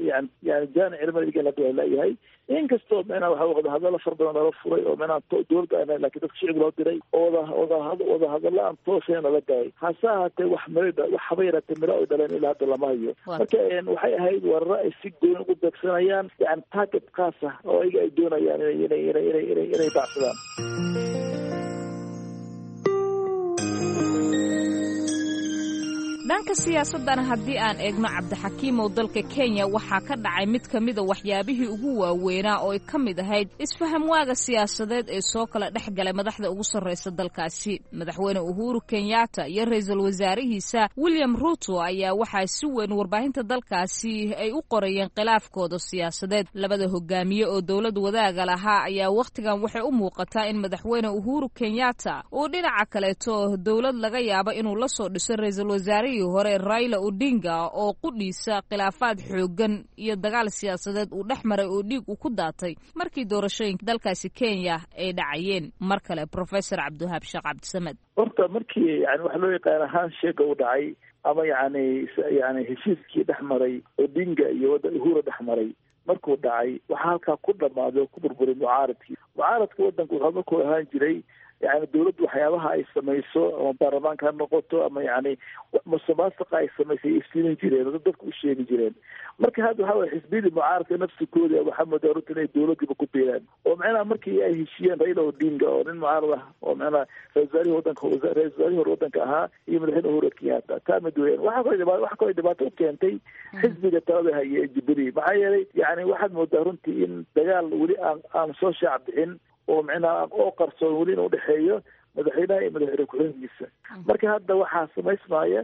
S10: yani jaanic cilmada hadda waa lalaayahay, inkastoo micnaha waxa wada hadallo fara badan lala furay oo micnaha dowladda aan, laakiin dadka shicib loo diray oo wada hadallo aan toosayn lala gaay. Hase ahaatee wax miro, wax haba yaraatee miro ay dhaleen ilaa hadda lama hayo. Marka waxay ahayd weeraro ay si gooni ugu beegsanayaan yani target khaas ah oo ayaga ay doonayaan inay baacsadaan.
S7: Dhanka siyaasadana haddii aan eegno, Cabdixakiimow, dalka Kenya waxaa ka dhacay mid ka mida waxyaabihii ugu waaweynaa oo ay ka mid ahayd isfaham waaga siyaasadeed ee soo kala dhex galay madaxda ugu sarraysa dalkaasi. Madaxweyne Uhuru Kenyatta iyo ra-iisul wasaarihiisa William Ruto ayaa waxaa si weyn warbaahinta dalkaasi ay u qorayeen khilaafkooda siyaasadeed. Labada hogaamiye oo dowlad wadaaga lahaa ayaa wakhtigan waxay u muuqataa in Madaxweyne Uhuru Kenyatta uu dhinaca kaleeto dowlad laga yaabo inuu la soo dhiso ra-iisul wasaarihii hore Raila Odinga, oo qudhiisa khilaafaad xooggan iyo dagaal siyaasadeed uu dhex maray oo dhiig uu ku daatay markii doorashooyinka dalkaasi Kenya ay dhacayeen. Mar kale Professor Cabdiwahaab Sheekh Cabdisamed.
S10: Horta markii yani waxa loo yaqaana handshake u dhacay ama yani heshiiskii dhex maray Odinga iyo wadda Uhuru dhex maray markuu dhacay, waxaa halkaa ku dhamaaday oo ku burburay mucaaradkii. Mucaaradka waddanka wuxuu markuu ahaan jiray yani dowladdu waxyaabaha ay samayso ama baarlamaanka ha noqoto ama yani musuqmaasuqa ay samaysay iftiimin jireen oo dadka u sheegi jireen. Marka hadda waxa weye xisbiyadii mucaaradka nafsikooda waxaa moodaa runta inay dowladiiba ku biireen, oo macnaha markii ay heshiiyeen Raila Odinga oo nin mucaarad ah oo macnaha ra-isul wasaarihii wadanka, ra-isul wasaarihii hore waddanka ahaa, iyo Madaxweyne Uhuru Kenyatta. Taa mid weeyaan. Waxa kaloo dhibaato u keentay xisbiga talada haya ee Jubilee, maxaa yeelay yani waxaad moodaa runtii in dagaal weli aan soo shaac bixin oo micnaha oo qarsoon weli in udhexeeyo madaxweynaha iyo madaxweyne ku-xigeenkiisa. Marka hadda waxaa samaysmaya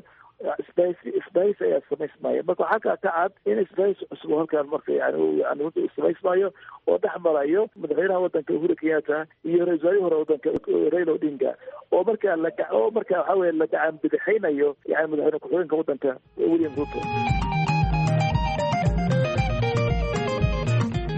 S10: isbahaysi ayaa samaysmaya. Marka waxaa kaa ka cad in isbahaysi cusub oo halkaan marka yani samaysmayo oo dhex marayo madaxweynaha waddanka Uhuru Kenyatta iyo ra-isul wasaarihii hore waddanka Raila Odinga, oo markaa waxa weye la gacan bidixaynayo yani madaxweyne ku-xigeenka waddanka William Ruto.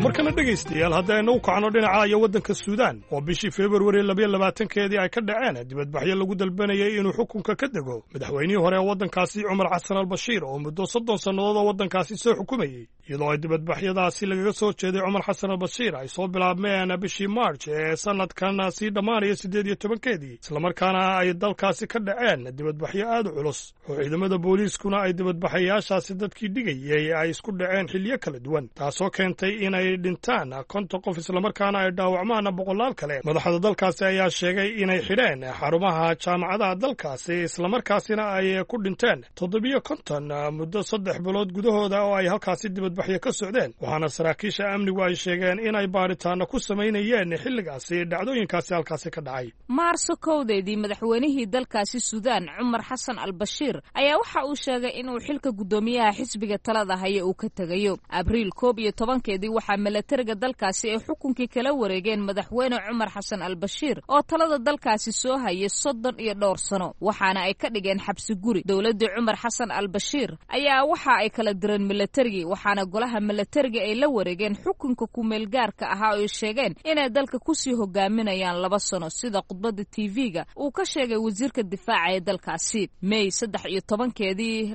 S8: Markana dhegaystayaal, haddaynu u kacno dhinaca iyo waddanka Suudaan, oo bishii Februari 22-keedii ay ka dhaceen dibadbaxyo lagu dalbanayay inuu xukunka ka dego madaxweynihii hore ee waddankaasi Cumar Xasan Albashiir, oo muddo 30 sannadood oo waddankaasi soo xukumayey. Iyadoo ay dibadbaxyadaasi lagaga soo jeeday Cumar Xasan Albashiir ay soo bilaabmeen bishii March ee sanadkan sii dhammaanaya 18-keedii, islamarkaana ay dalkaasi ka dhaceen dibadbaxyo aad u culus oo ciidamada booliiskuna ay dibadbaxayaashaasi dadkii dhigayey ay isku dhaceen xilliyo kala duwan, taasoo keentay inay dhintaan 50 qof islamarkaana ay dhaawacmaan boqolaal kale. Madaxda dalkaasi ayaa sheegay inay xidheen xarumaha jaamacadaha dalkaasi, islamarkaasina ay ku dhinteen 57 muddo 3 bilood gudahooda oo ay halkaasi dibadbaxyo ka socdeen. Waxaana saraakiisha amnigu ay sheegeen inay baaritaano ku samaynayeen xilligaasi dhacdooyinkaasi halkaasi ka dhacay.
S7: Maarso 1-deedii, madaxweynihii dalkaasi Suudaan Cumar Xasan Albashiir ayaa waxa uu sheegay inuu xilka guddoomiyaha xisbiga talada haya uu ka tegayo. Abriil 11-keedii waxaa milatariga dalkaasi ay xukunkii kala wareegeen madaxweyne Cumar Xasan Albashiir, oo talada dalkaasi soo hayay 30 iyo dhowr sano, waxaana ay ka dhigeen xabsi guri. Dowladdii Cumar Xasan Albashiir ayaa waxa ay kala direen milatarigii, waxaana golaha milatariga ay la wareegeen xukunka kumeelgaarka ahaa oo ay sheegeen inay dalka kusii hogaaminayaan 2 sano, sida khudbadda TV-ga uu ka sheegay wasiirka difaaca ee dalkaasi. May 13-keedii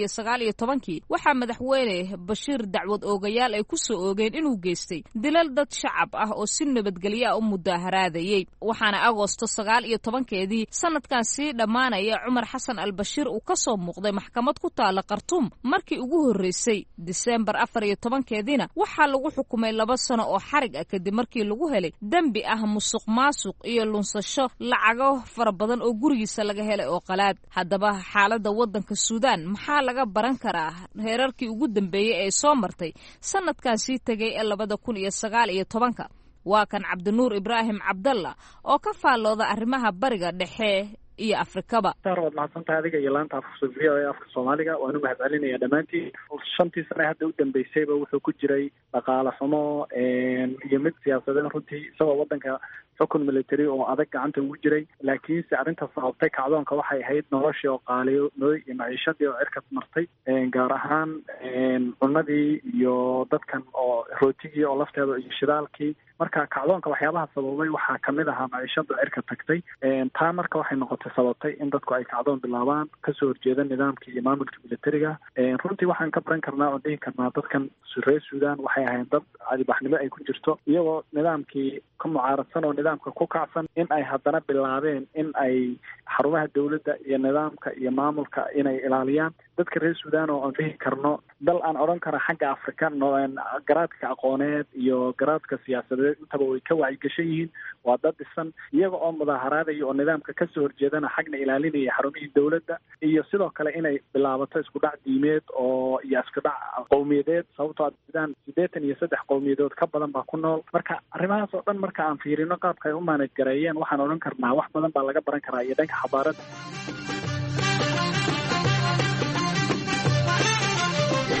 S7: 2019-kii waxaa madaxweyne Bashiir dacwad oogayaal ay kusoo oogeen inuu geystay dilal dad shacab ah oo si nabadgelyo ah u mudaaharaadayey. Waxaana Agoosto 19-keedii sanadkan sii dhammaanaya Cumar Xasan Albashiir uu ka soo muuqday maxkamad ku taala Khartuum markii ugu horreysay. Disembar 14-keediina waxaa lagu xukumay 2 sano oo xarig ah, kadib markii lagu helay dembi ah musuq maasuq iyo lunsasho lacago fara badan oo gurigiisa laga helay oo qalaad. Haddaba xaaladda waddanka Suudaan maxaa laga baran karaa heerarkii ugu dambeeyey ee soo martay sanadkan sii tegay ee 2019-ka? Waa kan Cabdinuur Ibraahim Cabdalla oo ka faallooda arrimaha Bariga Dhexe iyo Afrikaba.
S11: Saar, waad mahadsantahay adiga iyo laanta afka VOA afka Soomaaliga. Waan u mahadcelinaya dhammaantiin. 5-tii sane hadda u dambeysayba wuxuu ku jiray dhaqaale xumo iyo mid siyaasadeen runtii, isagoo waddanka xukun military oo adag gacanta ugu jiray. Laakiinse arrinta sababtay kacdoonka waxay ahayd noloshii oo qaaliyoobay iyo maciishadii oo cirkas martay, gaar ahaan cunadii iyo dadkan oo rootigii oo lafteeda iyo shidaalkii. Marka kacdoonka waxyaabaha sababay waxaa kamid ahaa maciishada cirka tagtay. Taa marka waxay noqotay sababtay in dadku ay kacdoon bilaabaan kasoo horjeeda nidaamkii iyo maamulka militariga. Runtii waxaan ka baran karnaa oo dhihi karnaa dadkan reer Suudan waxay ahayn dad cadibaxnimo ay ku jirto, iyagoo nidaamkii ka mucaaradsan oo nidaamka ku kacsan in ay haddana bilaabeen in ay xarumaha dowladda iyo nidaamka iyo maamulka inay ilaaliyaan. Dadka reer Suudaan oo aan dhihi karno dal aan odhan karo xagga Afrika garaadka aqooneed iyo garaadka siyaasadeed intaba way ka wacyigashan yihiin, waa dad dhisan, iyaga oo mudaaharaadaya oo nidaamka kasoo horjeedana xagna ilaalinaya xarumihii dowladda, iyo sidoo kale inay bilaabato isku dhac diimeed oo iyo isku dhac qowmiyadeed, sababtoo Suudaan 83 qowmiyadood ka badan baa ku nool. Marka arrimahaas oo dhan marka aan fiirino qaabka ay u maanaj gareeyeen, waxaan odhan karnaa wax badan baa laga baran karaa iyo dhanka xabaaradda.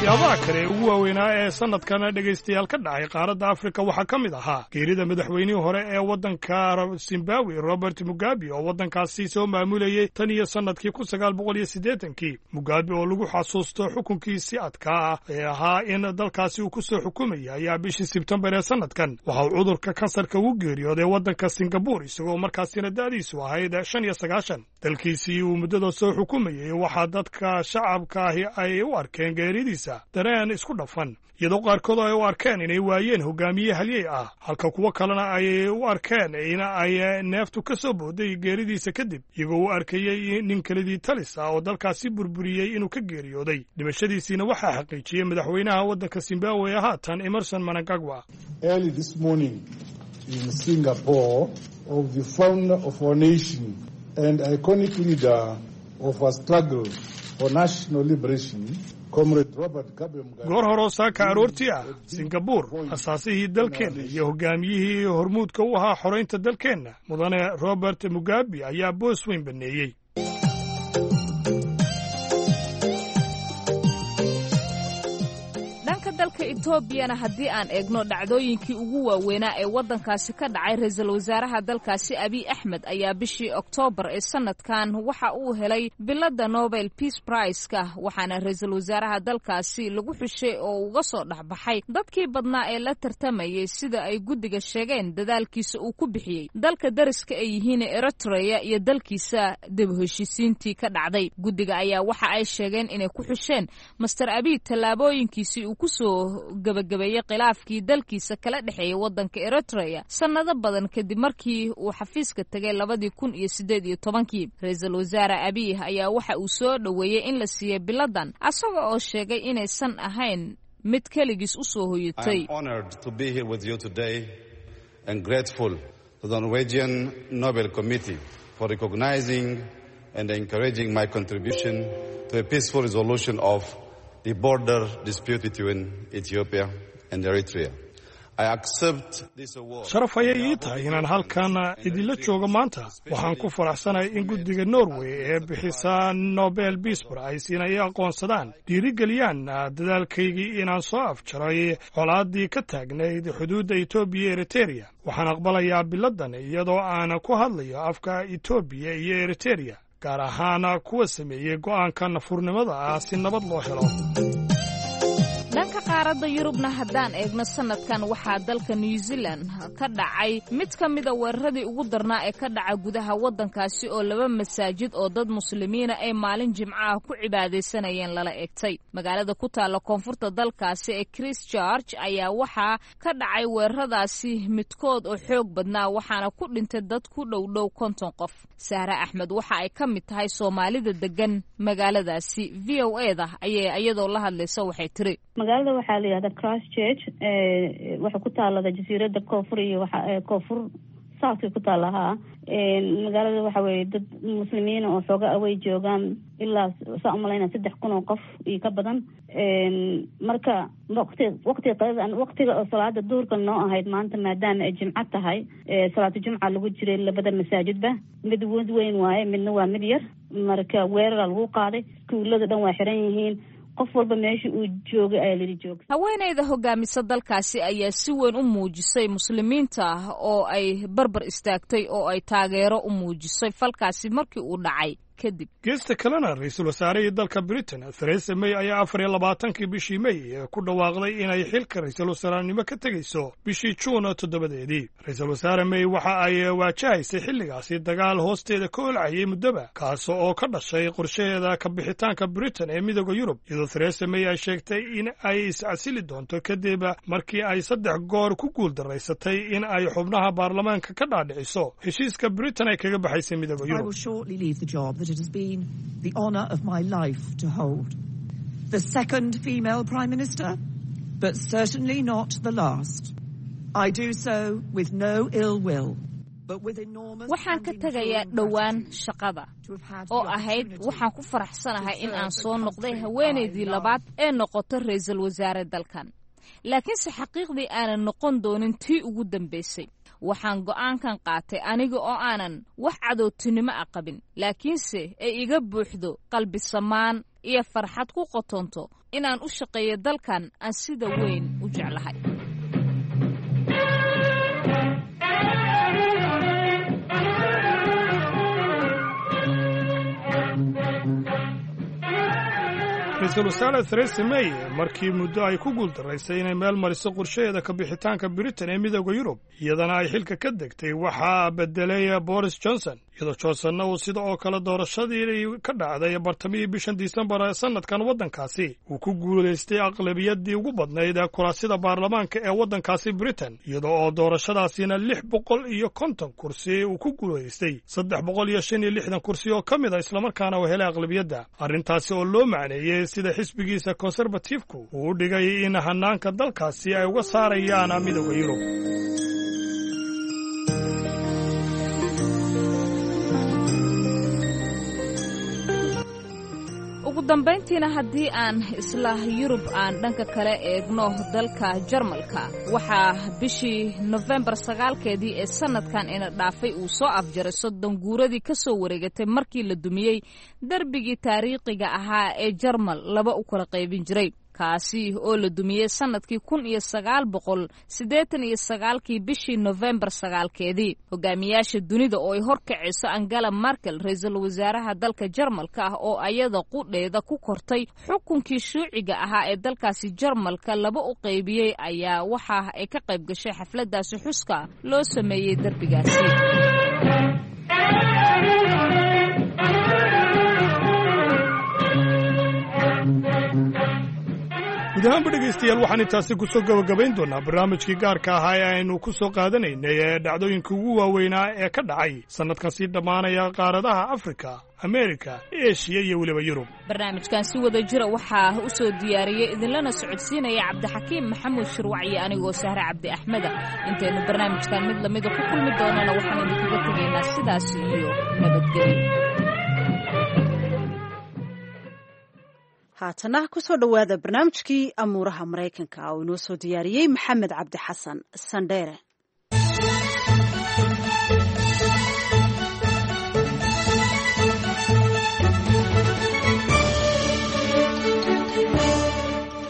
S8: Waxyaabaha kale ee ugu waaweynaa ee sanadkan, dhegaystayaal, ka dhacay qaaradda Afrika waxaa ka mid ahaa geerida madaxweynihii hore ee waddanka Zimbabwe, Robert Mugabe, oo waddankaasi soo maamulayey tan iyo sannadkii 1980-kii. Mugabe oo lagu xasuusto xukunkiisi adkaa ah ee ahaa in dalkaasi uu ku soo xukumayay, ayaa bishii Sebtembar ee sanadkan waxa uu cudurka kansarka ugu geeriyooday waddanka Singabur, isagoo markaasina da'diisu ahayd 95. Dalkiisii uu muddada soo xukumayey waxaa dadka shacabka ahi ay u arkeen geeridiisa dareen isku dhafan, iyadoo qaarkood ay u arkeen inay waayeen hogaamiye halyey ah, halka kuwo kalena ay u arkeen in ay neeftu ka soo booday geeridiisa kadib, iyagoo u arkayey nin kelidii talis ah oo dalkaasi burburiyey inuu ka geeriyooday. Dhimashadiisiina waxaa xaqiijiyey madaxweynaha waddanka Zimbabwe ee haatan, Emerson Mnangagwa.
S12: Early this morning in Singapore of the founder of our nation and iconic leader of our struggle for national liberation.
S8: Goor horoo saaka aroortii ah Singabuur, asaasihii dalkeenna iyo hogaamiyihii hormuudka u ahaa xoraynta dalkeenna, mudane Robert Mugabe, ayaa boos weyn baneeyey.
S7: Dhanka dalka Etoobiyana haddii aan eegno dhacdooyinkii ugu waaweynaa ee waddankaasi ka dhacay, ra-iisul wasaaraha dalkaasi Abiy Axmed ayaa bishii Oktoobar ee sanadkan waxa uu helay biladda Nobel Peace Prize-ka, waxaana ra-iisul wasaaraha dalkaasi lagu xushay oo uga soo dhexbaxay dadkii badnaa ee la tartamayay, sida ay guddiga sheegeen dadaalkiisa uu ku bixiyey dalka dariska ay yihiin Eritrea iyo dalkiisa dib heshiisiintii ka dhacday. Guddiga ayaa waxa ay sheegeen inay ku xusheen Master Abiy tallaabooyinkiisii uu kusoo gabagabeeyey khilaafkii dalkiisa kala dhexeeyay waddanka Eritrea sannado badan kadib markii uu xafiiska tegay 2018-kii. Ra-iisul wasaare Abiy ayaa waxa uu soo dhoweeyey in la siiyey biladan, asaga oo sheegay inaysan ahayn mid keligiis u soo hoyatay.
S9: For recognizing and encouraging my contribution to a peaceful resolution of the border dispute between Ethiopia and Eritrea. I accept this award.
S8: Sharaf ayay ii tahay inaan halkan idinla joogo maanta. Waxaan ku faraxsanahay in guddiga Norway ee bixisa Nobel Peace Prize inay aqoonsadaan, dhiirigeliyaan dadaalkaygii inaan soo afjaray colaaddii ka taagnayd xuduudda Etoobiya iyo Eritereya. Waxaan aqbalayaa biladan iyadoo aan ku hadlayo afka Etoobiya iyo Eritereya, gaar ahaan kuwa sameeyey go'aanka nafurnimada ah si nabad loo helo.
S7: Dhanka qaaradda Yurubna haddaan eegno, sanadkan waxaa dalka New Zealand ka dhacay mid ka mida weeraradii ugu darnaa ee ka dhaca gudaha waddankaasi, oo laba masaajid oo dad muslimiina ay maalin jimco ah ku cibaadaysanayeen lala egtay. Magaalada ku taalla koonfurta dalkaasi ee Christchurch ayaa waxaa ka dhacay weeraradaasi midkood oo xoog badnaa, waxaana ku dhintay dad ku dhowdhow 50 qof. Sahre Axmed waxa ay ka mid tahay Soomaalida degan magaaladaasi. VOA-da ayay iyadoo la hadlaysa waxay tiri:
S13: Magaalada waxaa la yihahdaa Christchurch, waxay ku taalada jasiirada koonfur iyo koonfur southka ku taala. Haa, magaalada waxa weye dad muslimiina oo xooga away joogaan, ilaa saa umalayna 3000 oo qof iyo ka badan. Marka waqti waqtiga qadada, waqtiga oo salaada duhurka noo ahayd maanta, maadaama ay jimco tahay, salaatu jumca lagu jiray, labada masaajidba mid mid weyn waaye, midna waa mid yar. Marka weerara lagu qaaday, iskuulada dhan waa xiran yihiin, qof walba meesha uu joogay ayaa lili jooga.
S7: Haweeneyda hogaamisa dalkaasi ayaa si weyn u muujisay muslimiinta oo ay barbar istaagtay oo ay taageero u muujisay falkaasi markii uu dhacay kadib.
S8: Geesta kalena, ra-iisul wasaarihii dalka Britain Theresa May ayaa 24-kii bishii May ku dhawaaqday inay xilka ra-iisul wasaarenimo ka tegayso bishii Juun 7-deedii. Ra-iisul wasaare May waxa ay waajahaysay xilligaasi dagaal hoosteeda ka olcayay muddoba, kaas oo ka dhashay qorshaheeda ka bixitaanka Britain ee Midooda Yurub, iyadoo Theresa May ay sheegtay in ay iscasili doonto kadib markii ay saddex goor ku guuldaraysatay in ay xubnaha baarlamaanka ka dhaadhiciso heshiiska Britain ay kaga baxaysay Midooda Yurub.
S14: it has been the honour of my life to hold. The second female Prime Minister, but certainly not the last. I do so with no ill will.
S7: Waxaan ka tegayaa dhowaan shaqada oo ahayd waxaan ku faraxsanahay in aan soo noqday haweenaydii labaad ee noqoto ra'iisul wasaare dalkan, laakiinse xaqiiqdii aanan noqon doonin tii ugu dambaysay. Waxaan go'aankan qaatay aniga oo aanan wax cadowtinimo a qabin, laakiinse ay iga buuxdo qalbi samaan iyo farxad ku qotonto inaan u shaqeeyo dalkan aan sida weyn u jeclahay.
S8: Ra-iisul wasaare Theresa May, markii muddo ay ku guuldaraysay inay meel mariso qorshaheeda ka bixitaanka Britain ee Midowda Yurub, iyadana ay xilka ka degtay, waxaa bedelay Boris Johnson, iyadoo Johnsonna uu sida oo kale doorashadii ka dhacday bartamihii bishan Disembar ee sanadkan waddankaasi uu ku guulaystay aqlabiyadii ugu badnayd ee kuraasida baarlamaanka ee waddankaasi Britain, iyadoo oo doorashadaasina 650 kursi uu ku guulaystay 365 kursi oo ka mid a, islamarkaana uu helay aqlabiyadda. Arrintaasi oo loo macneeyey sida xisbigiisa Conservative-ku uu u dhigay in hanaanka dalkaasi ay uga saarayaan Midowda Yurub.
S7: Ugu dambayntiina, haddii aan isla Yurub aan dhanka kale eegno, dalka Jarmalka waxaa bishii Nofembar 9-keedii ee sannadkan ina dhaafay uu soo afjaray 30 guuradii ka soo wareegatay markii la dumiyey darbigii taariikhiga ahaa ee Jarmal laba u kala qaybin jiray, kaasi oo la dumiyey sannadkii 1989-kii bishii Nofembar 9-keedii. Hogaamiyaasha dunida oo ay horkacayso Angela Merkel, ra-iisul wasaaraha dalka Jarmalka ah oo ayada qudheeda ku kortay xukunkii shuuciga ahaa ee dalkaasi Jarmalka laba u qaybiyey, ayaa waxa ay ka qayb gashay xafladaasi xuska loo sameeyey derbigaasi.
S8: Guud ahaanba, dhegaystayaal, waxaan intaasi ku soo gabagabayn doonaa barnaamijkii gaarka ahaa ee aynu ku soo qaadanaynay ee dhacdooyinka ugu waaweynaa ee ka dhacay sannadkan sii dhammaanaya qaaradaha Afrika, Ameerika, Eshiya iyo weliba Yurub.
S7: Barnaamijkan si wada jira waxaa u soo diyaariyey idinlana socodsiinaya Cabdixakiim Maxamuud Shirwacyo, anigoo Sahre Cabdi Axmeda. Intaynu barnaamijkan mid lamida ku kulmi doonana, waxaan idinkaga tegaynaa sidaas iyo nabadgelyo.
S1: Haatana kusoo dhowaada barnaamijkii amuuraha Maraykanka oo inoo soo diyaariyey Maxamed Cabdi Xasan Sandheere.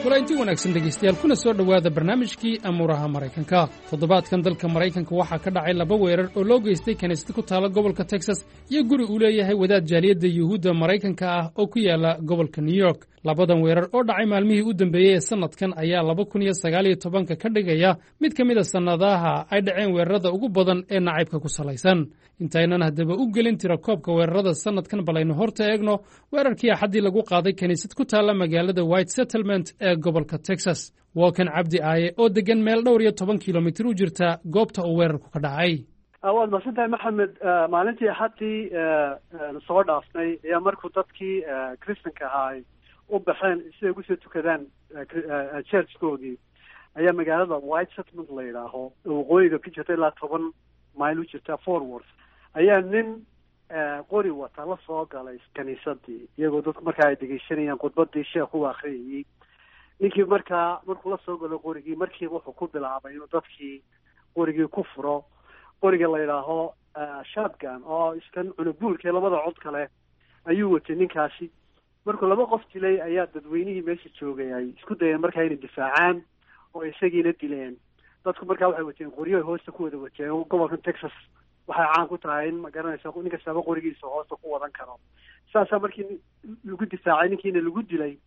S15: Kulanti wanaagsan, dhegaystayaal, kuna soo dhowaada barnaamijkii amuuraha Maraykanka. Toddobaadkan dalka Maraykanka waxaa ka dhacay laba weerar oo loo geystay kiniisad ku taala gobolka Texas iyo guri uu leeyahay wadaad jaaliyadda Yuhuudda Maraykanka ah oo ku yaala gobolka New York. Labadan weerar oo dhacay maalmihii u dambeeyey ee sannadkan ayaa 2019-ka ka dhigaya mid ka mid a sannadaha ay dhaceen weerarada ugu badan ee nacaybka ku salaysan. Intaynan haddaba u gelin tirakoobka weerarada sannadkan, bal aynu horta eegno weerarkii Axaddii lagu qaaday kiniisad ku taalla magaalada White Settlement ee gobolka Texas. Waa kan Cabdi Aaye oo degan meel dhowr iyo toban kilomitir u jirta goobta uu weerarku ka dhacay.
S16: Waad mahadsantahay, Maxamed. Maalintii Axaddii soo dhaafnay ayaa markuu dadkii Kristanka ahaa ay u baxeen si ay ugu soo tukadaan churchkoodii, ayaa magaalada White Settlement la yidhaaho, waqooyiga ka jirta ilaa 10 mayl u jirta Fort Worth, ayaa nin qori wata la soo galay kaniisadii, iyagoo dadku markaa ay dhegeysanayaan khudbadii sheekhu u akriyayey. Ninkii markaa markuu la soo galo qorigii, markiiba wuxuu ku bilaabay inuu dadkii qorigii ku furo. Qoriga la yidhaaho shotgun oo iskan cunuguulka labada cod kale ayuu watay ninkaasi. Markuu laba qof dilay ayaa dadweynihii meesha joogay ay isku dayeen markaa inay difaacaan oo isagiina dileen. Dadku markaa waxay wateen qoryo ay hoosta ku wada wateen. Gobolkan Texas waxay caan ku tahay in, ma garanaysa, nin kastaba qorigiisa hoosta ku wadan karo. Saasaa markii lagu difaacay ninkiina lagu dilay.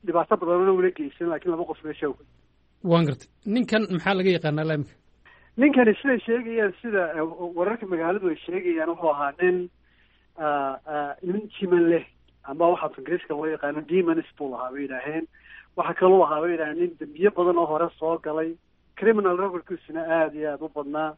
S16: Dhibaato badanna ula geysan, laakiin laba qof meesha.
S15: Waan gartay. Ninkan maxaa laga yaqaanaa laamika?
S16: Ninkani, siday sheegayaan, sida wararka magaaladu ay sheegayaan, wuxuu ahaa nin jiman leh, ama waxa af Ingiriiska loo yaqaano demons buu lahaa bay yidhaaheen. Waxaa kaloo ahaa, bay yidhaheen, nin dembiye badan oo hore soo galay, criminal recordkiisuna aada iyo aada u badnaa,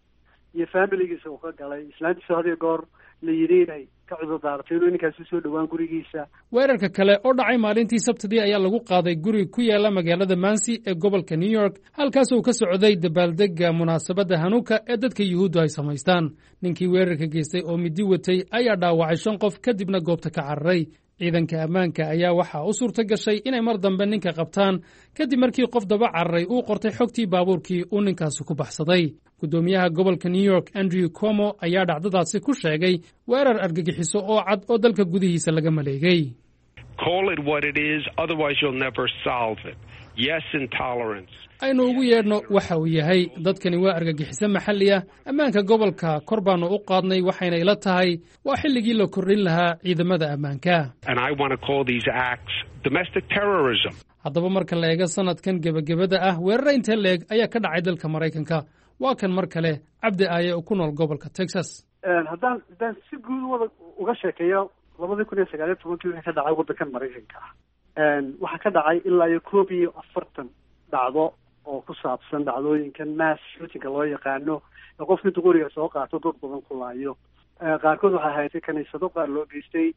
S16: iyo familigiisa uu ka galay, islaantiisa had iyo goor la yidhi inay ka cudurdaaratay inuu ninkaasi usoo dhowaan gurigiisa.
S15: Weerarka kale oo dhacay maalintii Sabtidii ayaa lagu qaaday guri ku yaala magaalada Mansi ee gobolka New York, halkaas uu ka socday dabaaldegga munaasabadda Hanuuka ee dadka Yuhuuddu ay samaystaan. Ninkii weerarka geystay oo midi watay ayaa dhaawacay shan qof, kadibna goobta ka cararay. Ciidanka ammaanka ayaa waxaa u suurta gashay inay mar dambe ninka qabtaan, kadib markii qof daba cararay uu qortay xogtii baabuurkii uu ninkaasi ku baxsaday. Guddoomiyaha gobolka New York, Andrew Como, ayaa dhacdadaasi ku sheegay weerar argagixiso oo cad oo dalka gudihiisa laga maleegay. Aynu ugu yeedhno waxa uu yahay, dadkani waa argagixiso maxalli ah. Ammaanka gobolka kor baannu u qaadnay, waxayna ila tahay waa xilligii la kordhin lahaa ciidamada ammaanka. Haddaba marka la eego sanadkan gebagabada ah, weerara intee leeg ayaa ka dhacay dalka Maraykanka? Waa kan mar kale Cabdi Aaye oo ku nool gobolka Texas.
S16: Haddaan si guud wada uga sheekeeyo 2019-kii wixii ka dhacay waddankan Maraykanka ah, waxaa ka dhacay ilaa iyo 41 dhacdo oo ku saabsan dhacdooyinkan mass shootingka loo yaqaano, ee qofka intu qoriga soo qaato dad badan ku laayo. Qaarkood waxaa haysay kaniisado qaar loo geystay,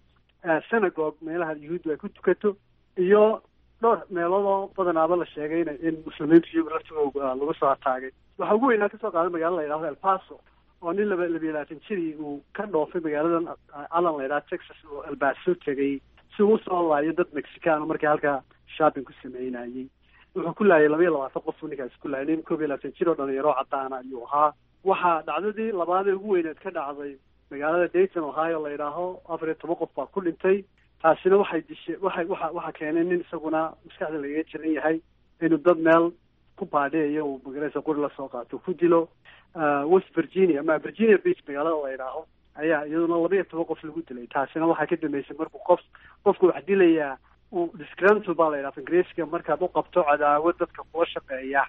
S16: synagogue meelaha Yuhuuddu ay ku tukato, iyo dhowr meelood oo badanaaba la sheegay in muslimiintu iyagu laftigooga lagu soo ataagay. Waxaa ugu weynaa kasoo qaaday magaalada la yidhahdo El Paso, oo nin 22 jirii uu ka dhoofay magaaladan Allen la yidhahdo Texas oo El Paso tegay si uu usoo laayo dad Mexicano markii halkaa shopping ku sameynayay. Wuxuu ku laayay 22 qof uu ninkaasi ku laayay. Nin 21 jir oo dhalinyaro cadaana ayuu ahaa. Waxaa dhacdadii labaadee ugu weyneed ka dhacday magaalada Dayton, Ohio la yidhaaho, 14 qof baa ku dhintay. Taasina waxay dishay waxay waxa waxaa keenay nin isaguna maskaxda lagaga jiran yahay inuu dad meel ku baadheeyo uu magaraysa quri lasoo qaato ku dilo. West Virginia ama Virginia Beach magaalada la yidhaaho ayaa iyaduna 12 qof lagu dilay. Taasina waxaa ka dambeysay markuu qofku wax dilayaa uu disgruntled baa la yidhaha Ingiriiska, markaad u qabto cadaawad dadka kula shaqeeya,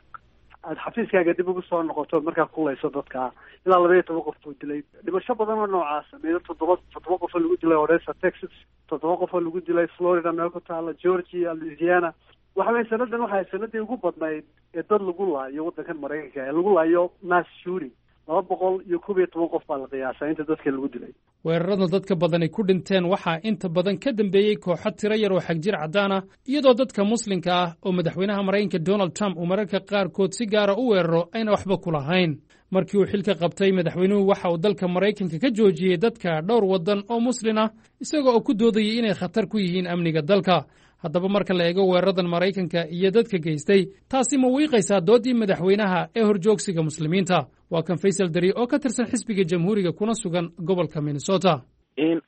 S16: aad xafiiskaaga dib ugu soo noqoto markaa kulayso dadka. Ilaa 12 qof buu dilay. Dhimasho badan oo noocaasa, meelo toddoba qof oo lagu dilay Odessa, Texas, 7 qof oo lagu dilay Florida meel ku taala, Georgia, Louisiana. Waxa weye sanadan waxay sanadii ugu badnayd ee dad lagu laayo waddankan Maraykanka ee lagu laayo mass shooting. 211 qof baa la qiyaasaa inta dadka lagu dilay.
S15: Weerarada dadka badani ku dhinteen waxaa inta badan ka dambeeyey kooxo tiro yar oo xagjir caddaan ah, iyadoo dadka muslimka ah oo madaxweynaha Maraykanka Donald Trump uu mararka qaarkood si gaara u weeraro ayna waxba ku lahayn. Markii uu xilka qabtay madaxweynuhu, waxa uu dalka Maraykanka ka joojiyey dadka dhowr waddan oo muslin ah, isagoo oo ku doodayay inay khatar ku yihiin amniga dalka. Haddaba marka la eego weeraradan Maraykanka iyo dadka geystay, taasi ma wiiqaysaa dooddii madaxweynaha ee horjoogsiga muslimiinta? Waa kan Faysal Dari oo ka tirsan xisbiga Jamhuuriga kuna sugan gobolka Minnesota.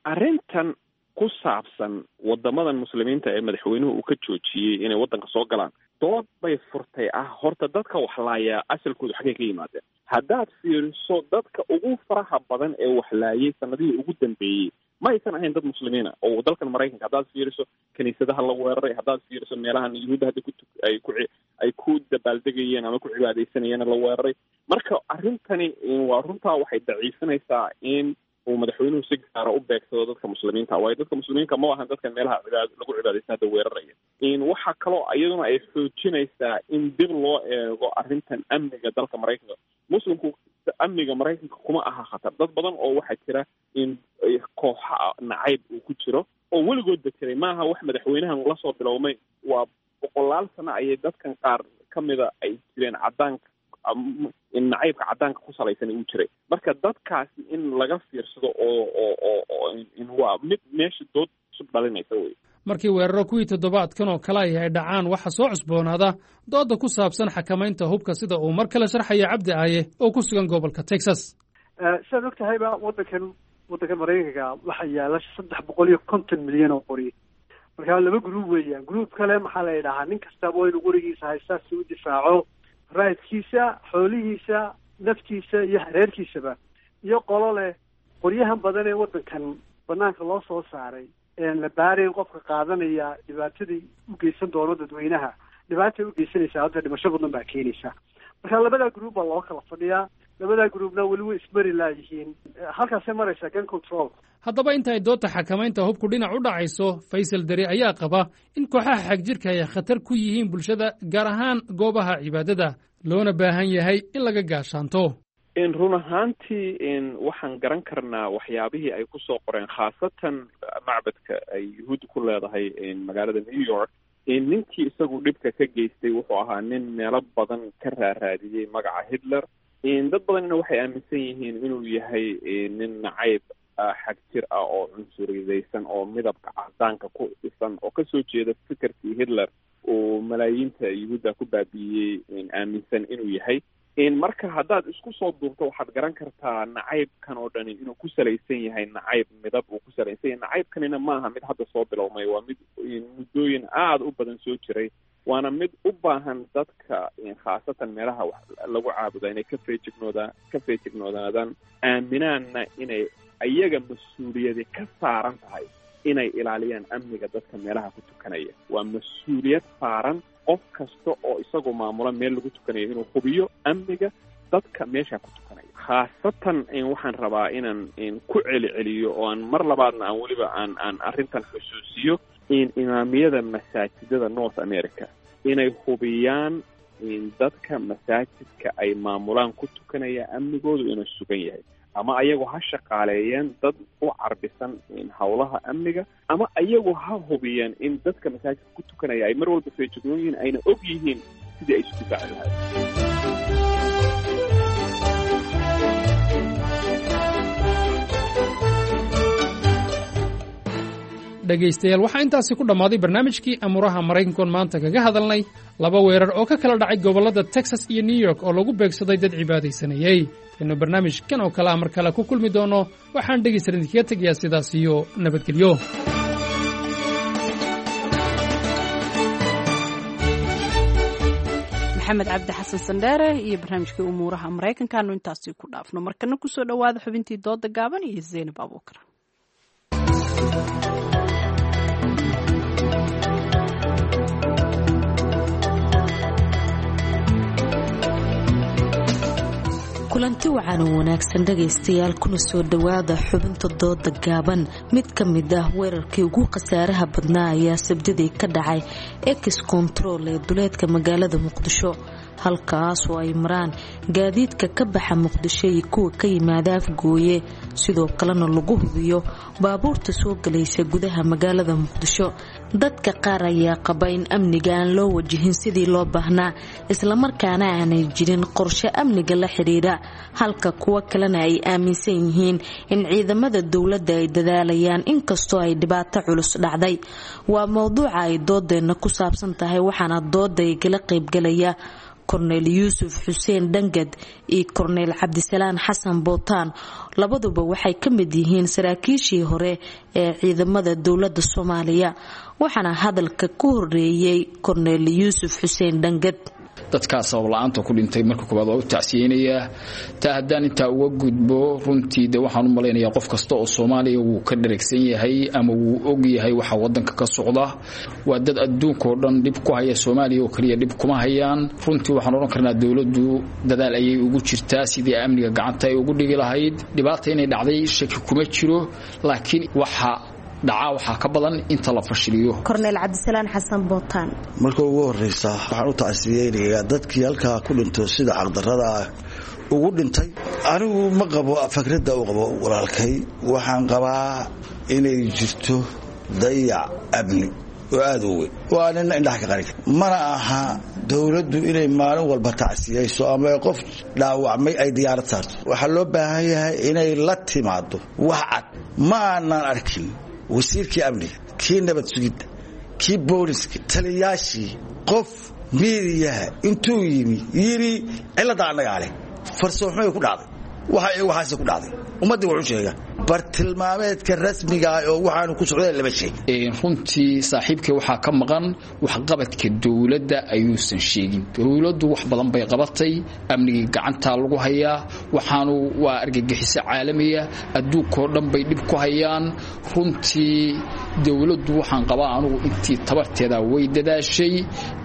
S17: Arrintan ku saabsan waddamadan muslimiinta ee madaxweynuhu uu ka joojiyey inay waddanka soo galaan, dood bay furtay ah horta dadka waxlaayaa asalkoodu xaggay ka yimaadeen. Haddaad fiiriso dadka ugu faraha badan ee waxlaayay sanadihii ugu dambeeyey, ma aysan ahayn dad muslimiina oo dalkan Maraykanka. Haddaad fiiriso kiniisadaha la weeraray, haddaad fiiriso meelahan Yuhuudda hadda kuay ku ay ku dabaaldegayeen ama ku cibaadaysanayeen la weeraray. Marka arrintani waa runtaa, waxay daciifinaysaa in uu madaxweynuhu si gaara u beegsado dadka muslimiinta, waayo dadka muslimiinka ma ahan dadkan meelaha lagu cibaadaysan hadda weeraraya. Waxaa kaloo iyaduna ay xoojinaysaa in dib loo eego arrintan amniga dalka Maraykanka. Muslimku amniga Maraykanka kuma aha khatar. Dad badan oo waxaa jira in kooxa nacayb uu ku jiro oo weligoodba jiray, maaha wax madaxweynahan lasoo bilowmay. Waa boqolaal sano ayay dadkan qaar kamida ay jireen cadaanka, nacaybka cadaanka ku salaysan uu jiray. Marka dadkaasi in laga fiirsado oo oo oo oo waa mid meesha dood cusub dhalinaysa wey.
S15: Markii weeraro kuwii toddobaadkan oo kale ahi ay dhacaan, waxaa soo cusboonaada doodda ku saabsan xakamaynta hubka, sida uu mar kale sharxaya Cabdi Aaye oo ku sugan gobolka Texas.
S16: Sidaad og tahayba, waddankan Maraykanka waxaa yaala 350 milyan oo qori. Marka laba gruub weeyaan. Gruub kale maxaa la yidhahaa, nin kastaba waa inuu qorigiisa haystaa si u difaaco raadkiisa, xoolihiisa, naftiisa iyo hareerkiisaba, iyo qolo leh qoryahan badan ee waddankan banaanka loo soo saaray een la baarayn qofka qaadanaya dhibaatadii u geysan doono dadweynaha, dhibaatay u geysanaysaa, hadda dhimasho badan baa keenaysa. Marka labadaa gruub baa loo kala fadhiyaa, labadaa gruubna weli way ismari laayihiin, halkaasay maraysaa gun control.
S15: Haddaba inta ay doodta xakamaynta hubku dhinac u dhacayso, Faysal Deri ayaa qaba in kooxaha xagjirka ay khatar ku yihiin bulshada, gaar ahaan goobaha cibaadada, loona baahan yahay in laga gaashaanto.
S17: Run ahaantii waxaan garan karnaa waxyaabihii ay kusoo qoreen, khaasatan macbadka ay yuhuudda ku leedahay magaalada New York. Ninkii isagu dhibka ka geystay wuxuu ahaa nin meelo badan ka raaraadiyey magaca Hitler. Dad badanna waxay aaminsan yihiin inuu yahay nin nacayb xag jir ah oo cunsuriyadaysan oo midabka cadaanka ku dhisan oo kasoo jeeda fikirkii Hitler uu malaayiinta yuhuudda ku baabi'iyey aaminsan inuu yahay. Marka haddaad isku soo duubto, waxaad garan kartaa nacaybkan oo dhani inuu ku salaysan yahay nacayb midab uu ku salaysan yahay. Nacaybkanina maaha mid hadda soo bilowmay, waa mid muddooyin aada u badan soo jiray, waana mid u baahan dadka khaasatan meelaha wax lagu caabuda inay ka feejignoodaan, aaminaanna inay iyaga mas-uuliyadi ka saaran tahay inay ilaaliyaan amniga dadka meelaha ku tukanaya. Waa mas-uuliyad saaran qof kasta oo isagu maamula meel lagu tukanayo inuu hubiyo amniga dadka meesha ku tukanaya. Khaasatan waxaan rabaa inaan ku celiceliyo oo aan mar labaadna aan weliba aan arrintan xusuusiyo in imaamiyada masaajidada North America inay hubiyaan in dadka masaajidka ay maamulaan ku tukanaya amnigoodu inuu sugan yahay, ama ayagu ha shaqaaleeyeen dad u carbisan howlaha amniga, ama ayagu ha hubiyeen in dadka masaajidka ku tukanaya ay mar walba feejignoon yihiin, ayna og yihiin sidii ay isu difaaci lahayd.
S15: Dhegaystayaal, waxaa intaasi ku dhammaaday barnaamijkii amuuraha Maraykankoon maanta kaga hadalnay laba weerar oo ka kala dhacay gobollada Texas iyo New York oo lagu beegsaday dad cibaadaysanayey. Taynu barnaamijkan oo kale a mar kale ku kulmi doono, waxaan dhegaysan idinkaga tegayaa sidaas iyo nabadgelyo.
S2: Maxamed Cabdi Xasan Sandheere iyo barnaamijkii umuuraha Maraykankaanu intaasi ku dhaafno. Markana kusoo dhowaada xubintii dooda gaaban iyo Zaynab Abuukar.
S18: Kulanti wacan oo wanaagsan dhagaystayaal, kuna soo dhowaada xubinta dooda gaaban. Mid ka mid ah weerarkii ugu khasaaraha badnaa ayaa sabdidii ka dhacay ex control ee duleedka magaalada Muqdisho, halkaas oo ay maraan gaadiidka ka baxa Muqdisho iyo kuwa ka yimaada Afgooye, sidoo kalena lagu hubiyo baabuurta soo galaysa gudaha magaalada Muqdisho. Dadka qaar ayaa qaba in amniga aan loo wajihin sidii loo baahnaa, islamarkaana aanay jirin qorshe amniga la xidhiidha, halka kuwo kalena ay aaminsan yihiin in ciidamada dowladda ay dadaalayaan inkastoo ay dhibaato culus dhacday. Waa mowduuca ay doodeenna ku saabsan tahay, waxaana dooda igala qaybgalaya Korneyl Yuusuf Xuseen Dhangad iyo Korneyl Cabdisalaan Xasan Bootaan. Labaduba waxay ka mid yihiin saraakiishii hore ee ciidamada dowlada Soomaaliya, waxaana hadalka ku horeeyey Korneyl Yuusuf Xuseen Dhangad.
S19: Dadkaa sabab la-aanta ku dhintay marka koowaad waa u tacsiyeynayaa. Taa haddaan intaa uga gudbo, runtii de waxaan u malaynayaa qof kasta oo Soomaaliya wuu ka dheragsan yahay ama wuu og yahay waxa wadanka ka socda. Waa dad adduunkao dhan dhib ku haya, Soomaaliya oo keliya dhib kuma hayaan. Runtii waxaan odhan karnaa dowladdu dadaal ayay ugu jirtaa sidii amniga gacanta ay ugu dhigi lahayd. Dhibaata inay dhacday shaki kuma jiro, laakiin waxa dhacaa waxaa ka badan inta la fashiliyo.
S18: Korneyl Cabdisalaan Xasan Bootaan.
S20: Marka ugu horreysa waxaan u tacsiyeynayaa dadkii halkaa ku dhinto sida caqdarrada ah ugu dhintay. Anigu ma qabo fakradda uu qabo walaalkay. Waxaan qabaa inay jirto dayac amni oo aada u weyn, waa nina indhaha ka qarin. Mana aha dowladdu inay maalin walba tacsiyeyso ama qof dhaawacmay ay diyaarad saarto. Waxaa loo baahan yahay inay la timaado wax cad. Ma aanaan arkin wasiirkii amniga, kii nabad sugidda, kii booliska, taliyaashii, qof miidiyaha intuu yimi yidhi cilladda annagaa leh, farsoomxumay ku dhacday, waxa waxaase ku dhacday. Ummaddii wuxuu sheegaa bartilmaameedka rasmiga ah oo waxaanu ku socday lama sheegin.
S19: Runtii saaxiibkay waxaa ka maqan waxqabadka dowladda ayuusan sheegin. Dowladdu wax badan bay qabatay, amnigii gacantaa lagu hayaa, waxaanu waa argagixiso caalamiya, adduunkao dhan bay dhib ku hayaan. Runtii dowladdu waxaan qabaa anugu intii tabarteeda way dadaashay,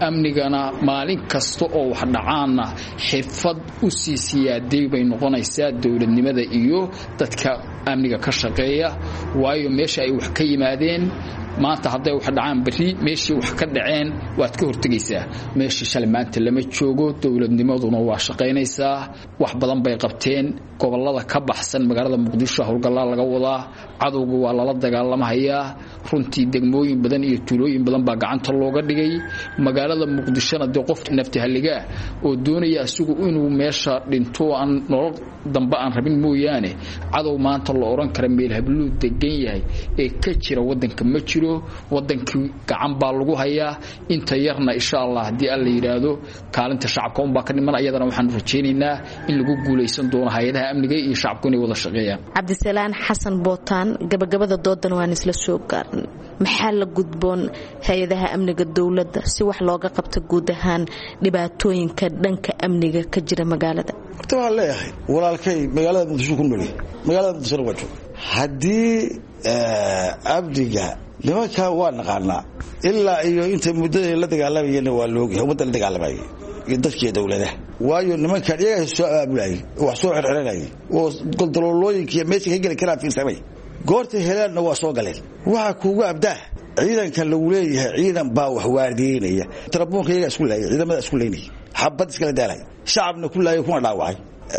S19: amnigana maalin kasta oo wax dhacaanna xirfad u sii siyaaday bay noqonaysaa dowladnimada iyo dadka amniga ka shaqeeya, waayo meesha ay wax ka yimaadeen Maanta hadday wax dhacaan, berri meeshii wax ka dhaceen waad ka hortegaysaa. Meeshii shalay maanta lama joogo. Dowladnimaduna waa shaqaynaysaa, wax badan bay qabteen. Gobolada ka baxsan magaalada Muqdisho howlgallaa laga wadaa, cadowga waa lala dagaalamahayaa. Runtii degmooyin badan iyo tuulooyin badan baa gacanta looga dhigay. Magaalada Muqdishona dee qof naftihaligaah oo doonaya asigu inuu meesha dhinto, aan nolol dambe aan rabin mooyaane, cadow maanta la odhan kara meel habluu degan yahay ee ka jira wadanka ma jiro. Wadankii gacan baa lagu hayaa. Inta yarna insha Allah haddii Alla yidhaahdo kaalinta shacabka unbaa ka dhiman. Ayadana waxaanu rajaynaynaa in lagu guulaysan doono, hay-adaha amniga iyo shacabku inay wada shaqeeyaan.
S18: Cabdisalaan Xasan Bootaan, gabagabada doodan waan isla soo gaarnay. Maxaa la gudboon hay-adaha amniga dowladda si wax looga qabto guud ahaan dhibaatooyinka dhanka amniga ka jira magaalada?
S20: Horta waxaan leeyahay walaalkay magaalada Muqdisho ku noolyahay, magaalada Muqdishona waa jooga. Haddii amniga nimankaa waa naqaanaa, ilaa iyo inta muddada la dagaalamayana waa laogyahay, ummadda la dagaalamayay iyo dadkiiyo dowladaha. Waayo, nimankaan iyagaa soo abaabulayay, wax soo xirxiranayay oo goldaloolooyinka iyo meesha ka geli karaan fiirsamay. Goortay helaanna waa soo galeen. Waxaa kuugu abdaa ciidanka lagu leeyahay ciidan baa wax waardiyeynaya. Tarabuunka iyagaa isku laayay, ciidamada isku laynaya, xabad iskala daalay, shacabna ku laayay kuna dhaawacay.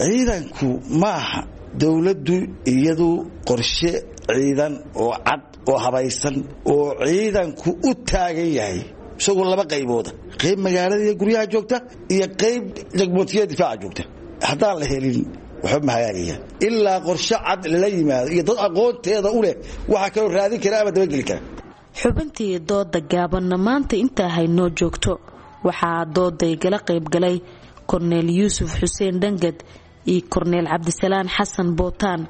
S20: Ciidanku maaha dowladdu iyadu qorshe ciidan oo cad oo habaysan oo ciidanku u taagan yahay, isagoo laba qaybooda: qayb magaalada iyo guryaha joogta iyo qayb jagmootiya difaaca joogta. Haddaan la helin waxba ma hagaagayaan ilaa qorshe cad lala yimaado iyo dad aqoonteeda u leh. Waxaa kaloo raadin kara ama dabageli kara.
S18: Xubintii dooda gaabanna maanta intaa haynoo joogto. Waxaa dooday gala qaybgalay Korneel Yuusuf Xuseen Dhangad iyo Korneel Cabdisalaan Xasan Bootaan.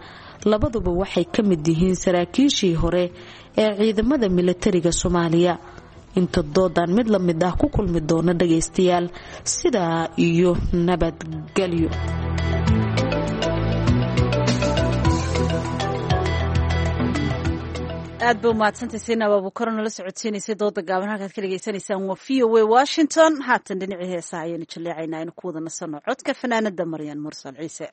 S18: Labaduba waxay ka mid yihiin saraakiishii hore ee ciidamada milatariga Soomaaliya. Inta doodan mid la mid ah ku kulmi doona dhagaystayaal, sidaa iyo nabadgelyo.
S1: Aad ba umahadsantay Saynab Abuukar, nala socodsiinaysay dooda gaaban. Halkaad ka dhegaysanaysaan waa VOA Washington. Haatan dhinacii heesaha ayaanu jaleecaynaa, aynu ku wada nasano codka fanaanada Maryan Mursal Ciise.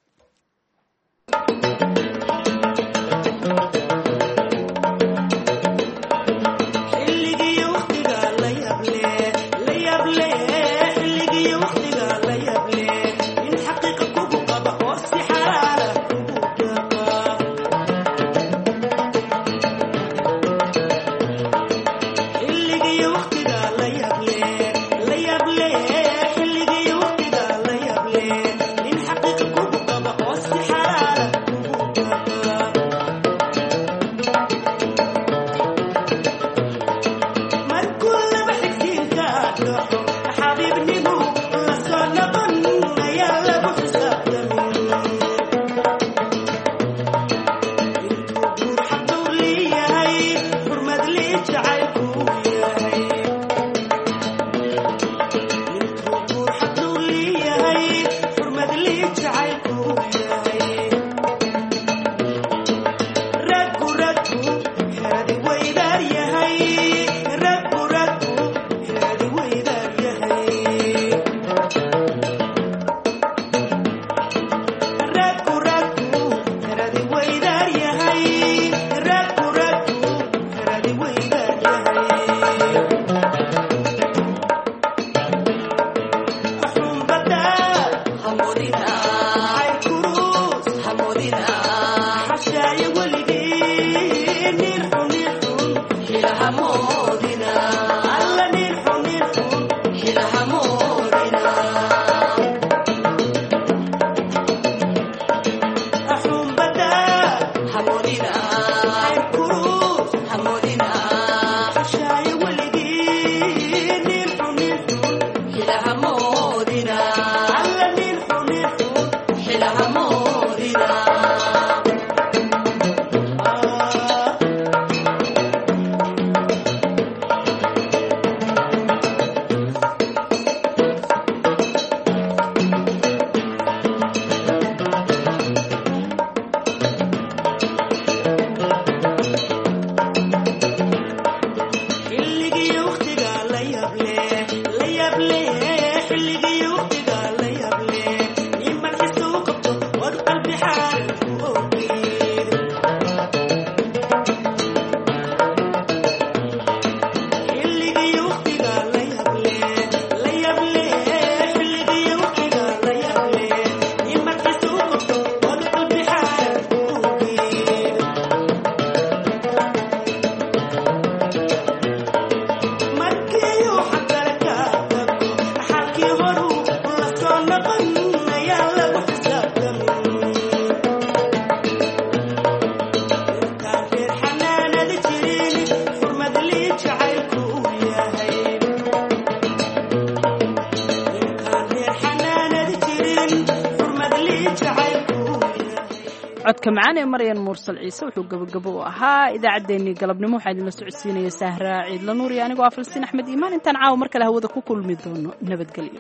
S2: Codka macaan ee Maryan Mursal Ciise wuxuu gabagabo u ahaa idaacaddeenii galabnimo. Waxaa idinla socodsiinaya Sahra Ciidla Nuur iyo anigoo ah Falsiin Axmed Iimaan. Intaan caawa mar kale hawada ku kulmi doono, nabadgelyo.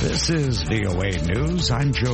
S21: This is VOA News. I'm Joe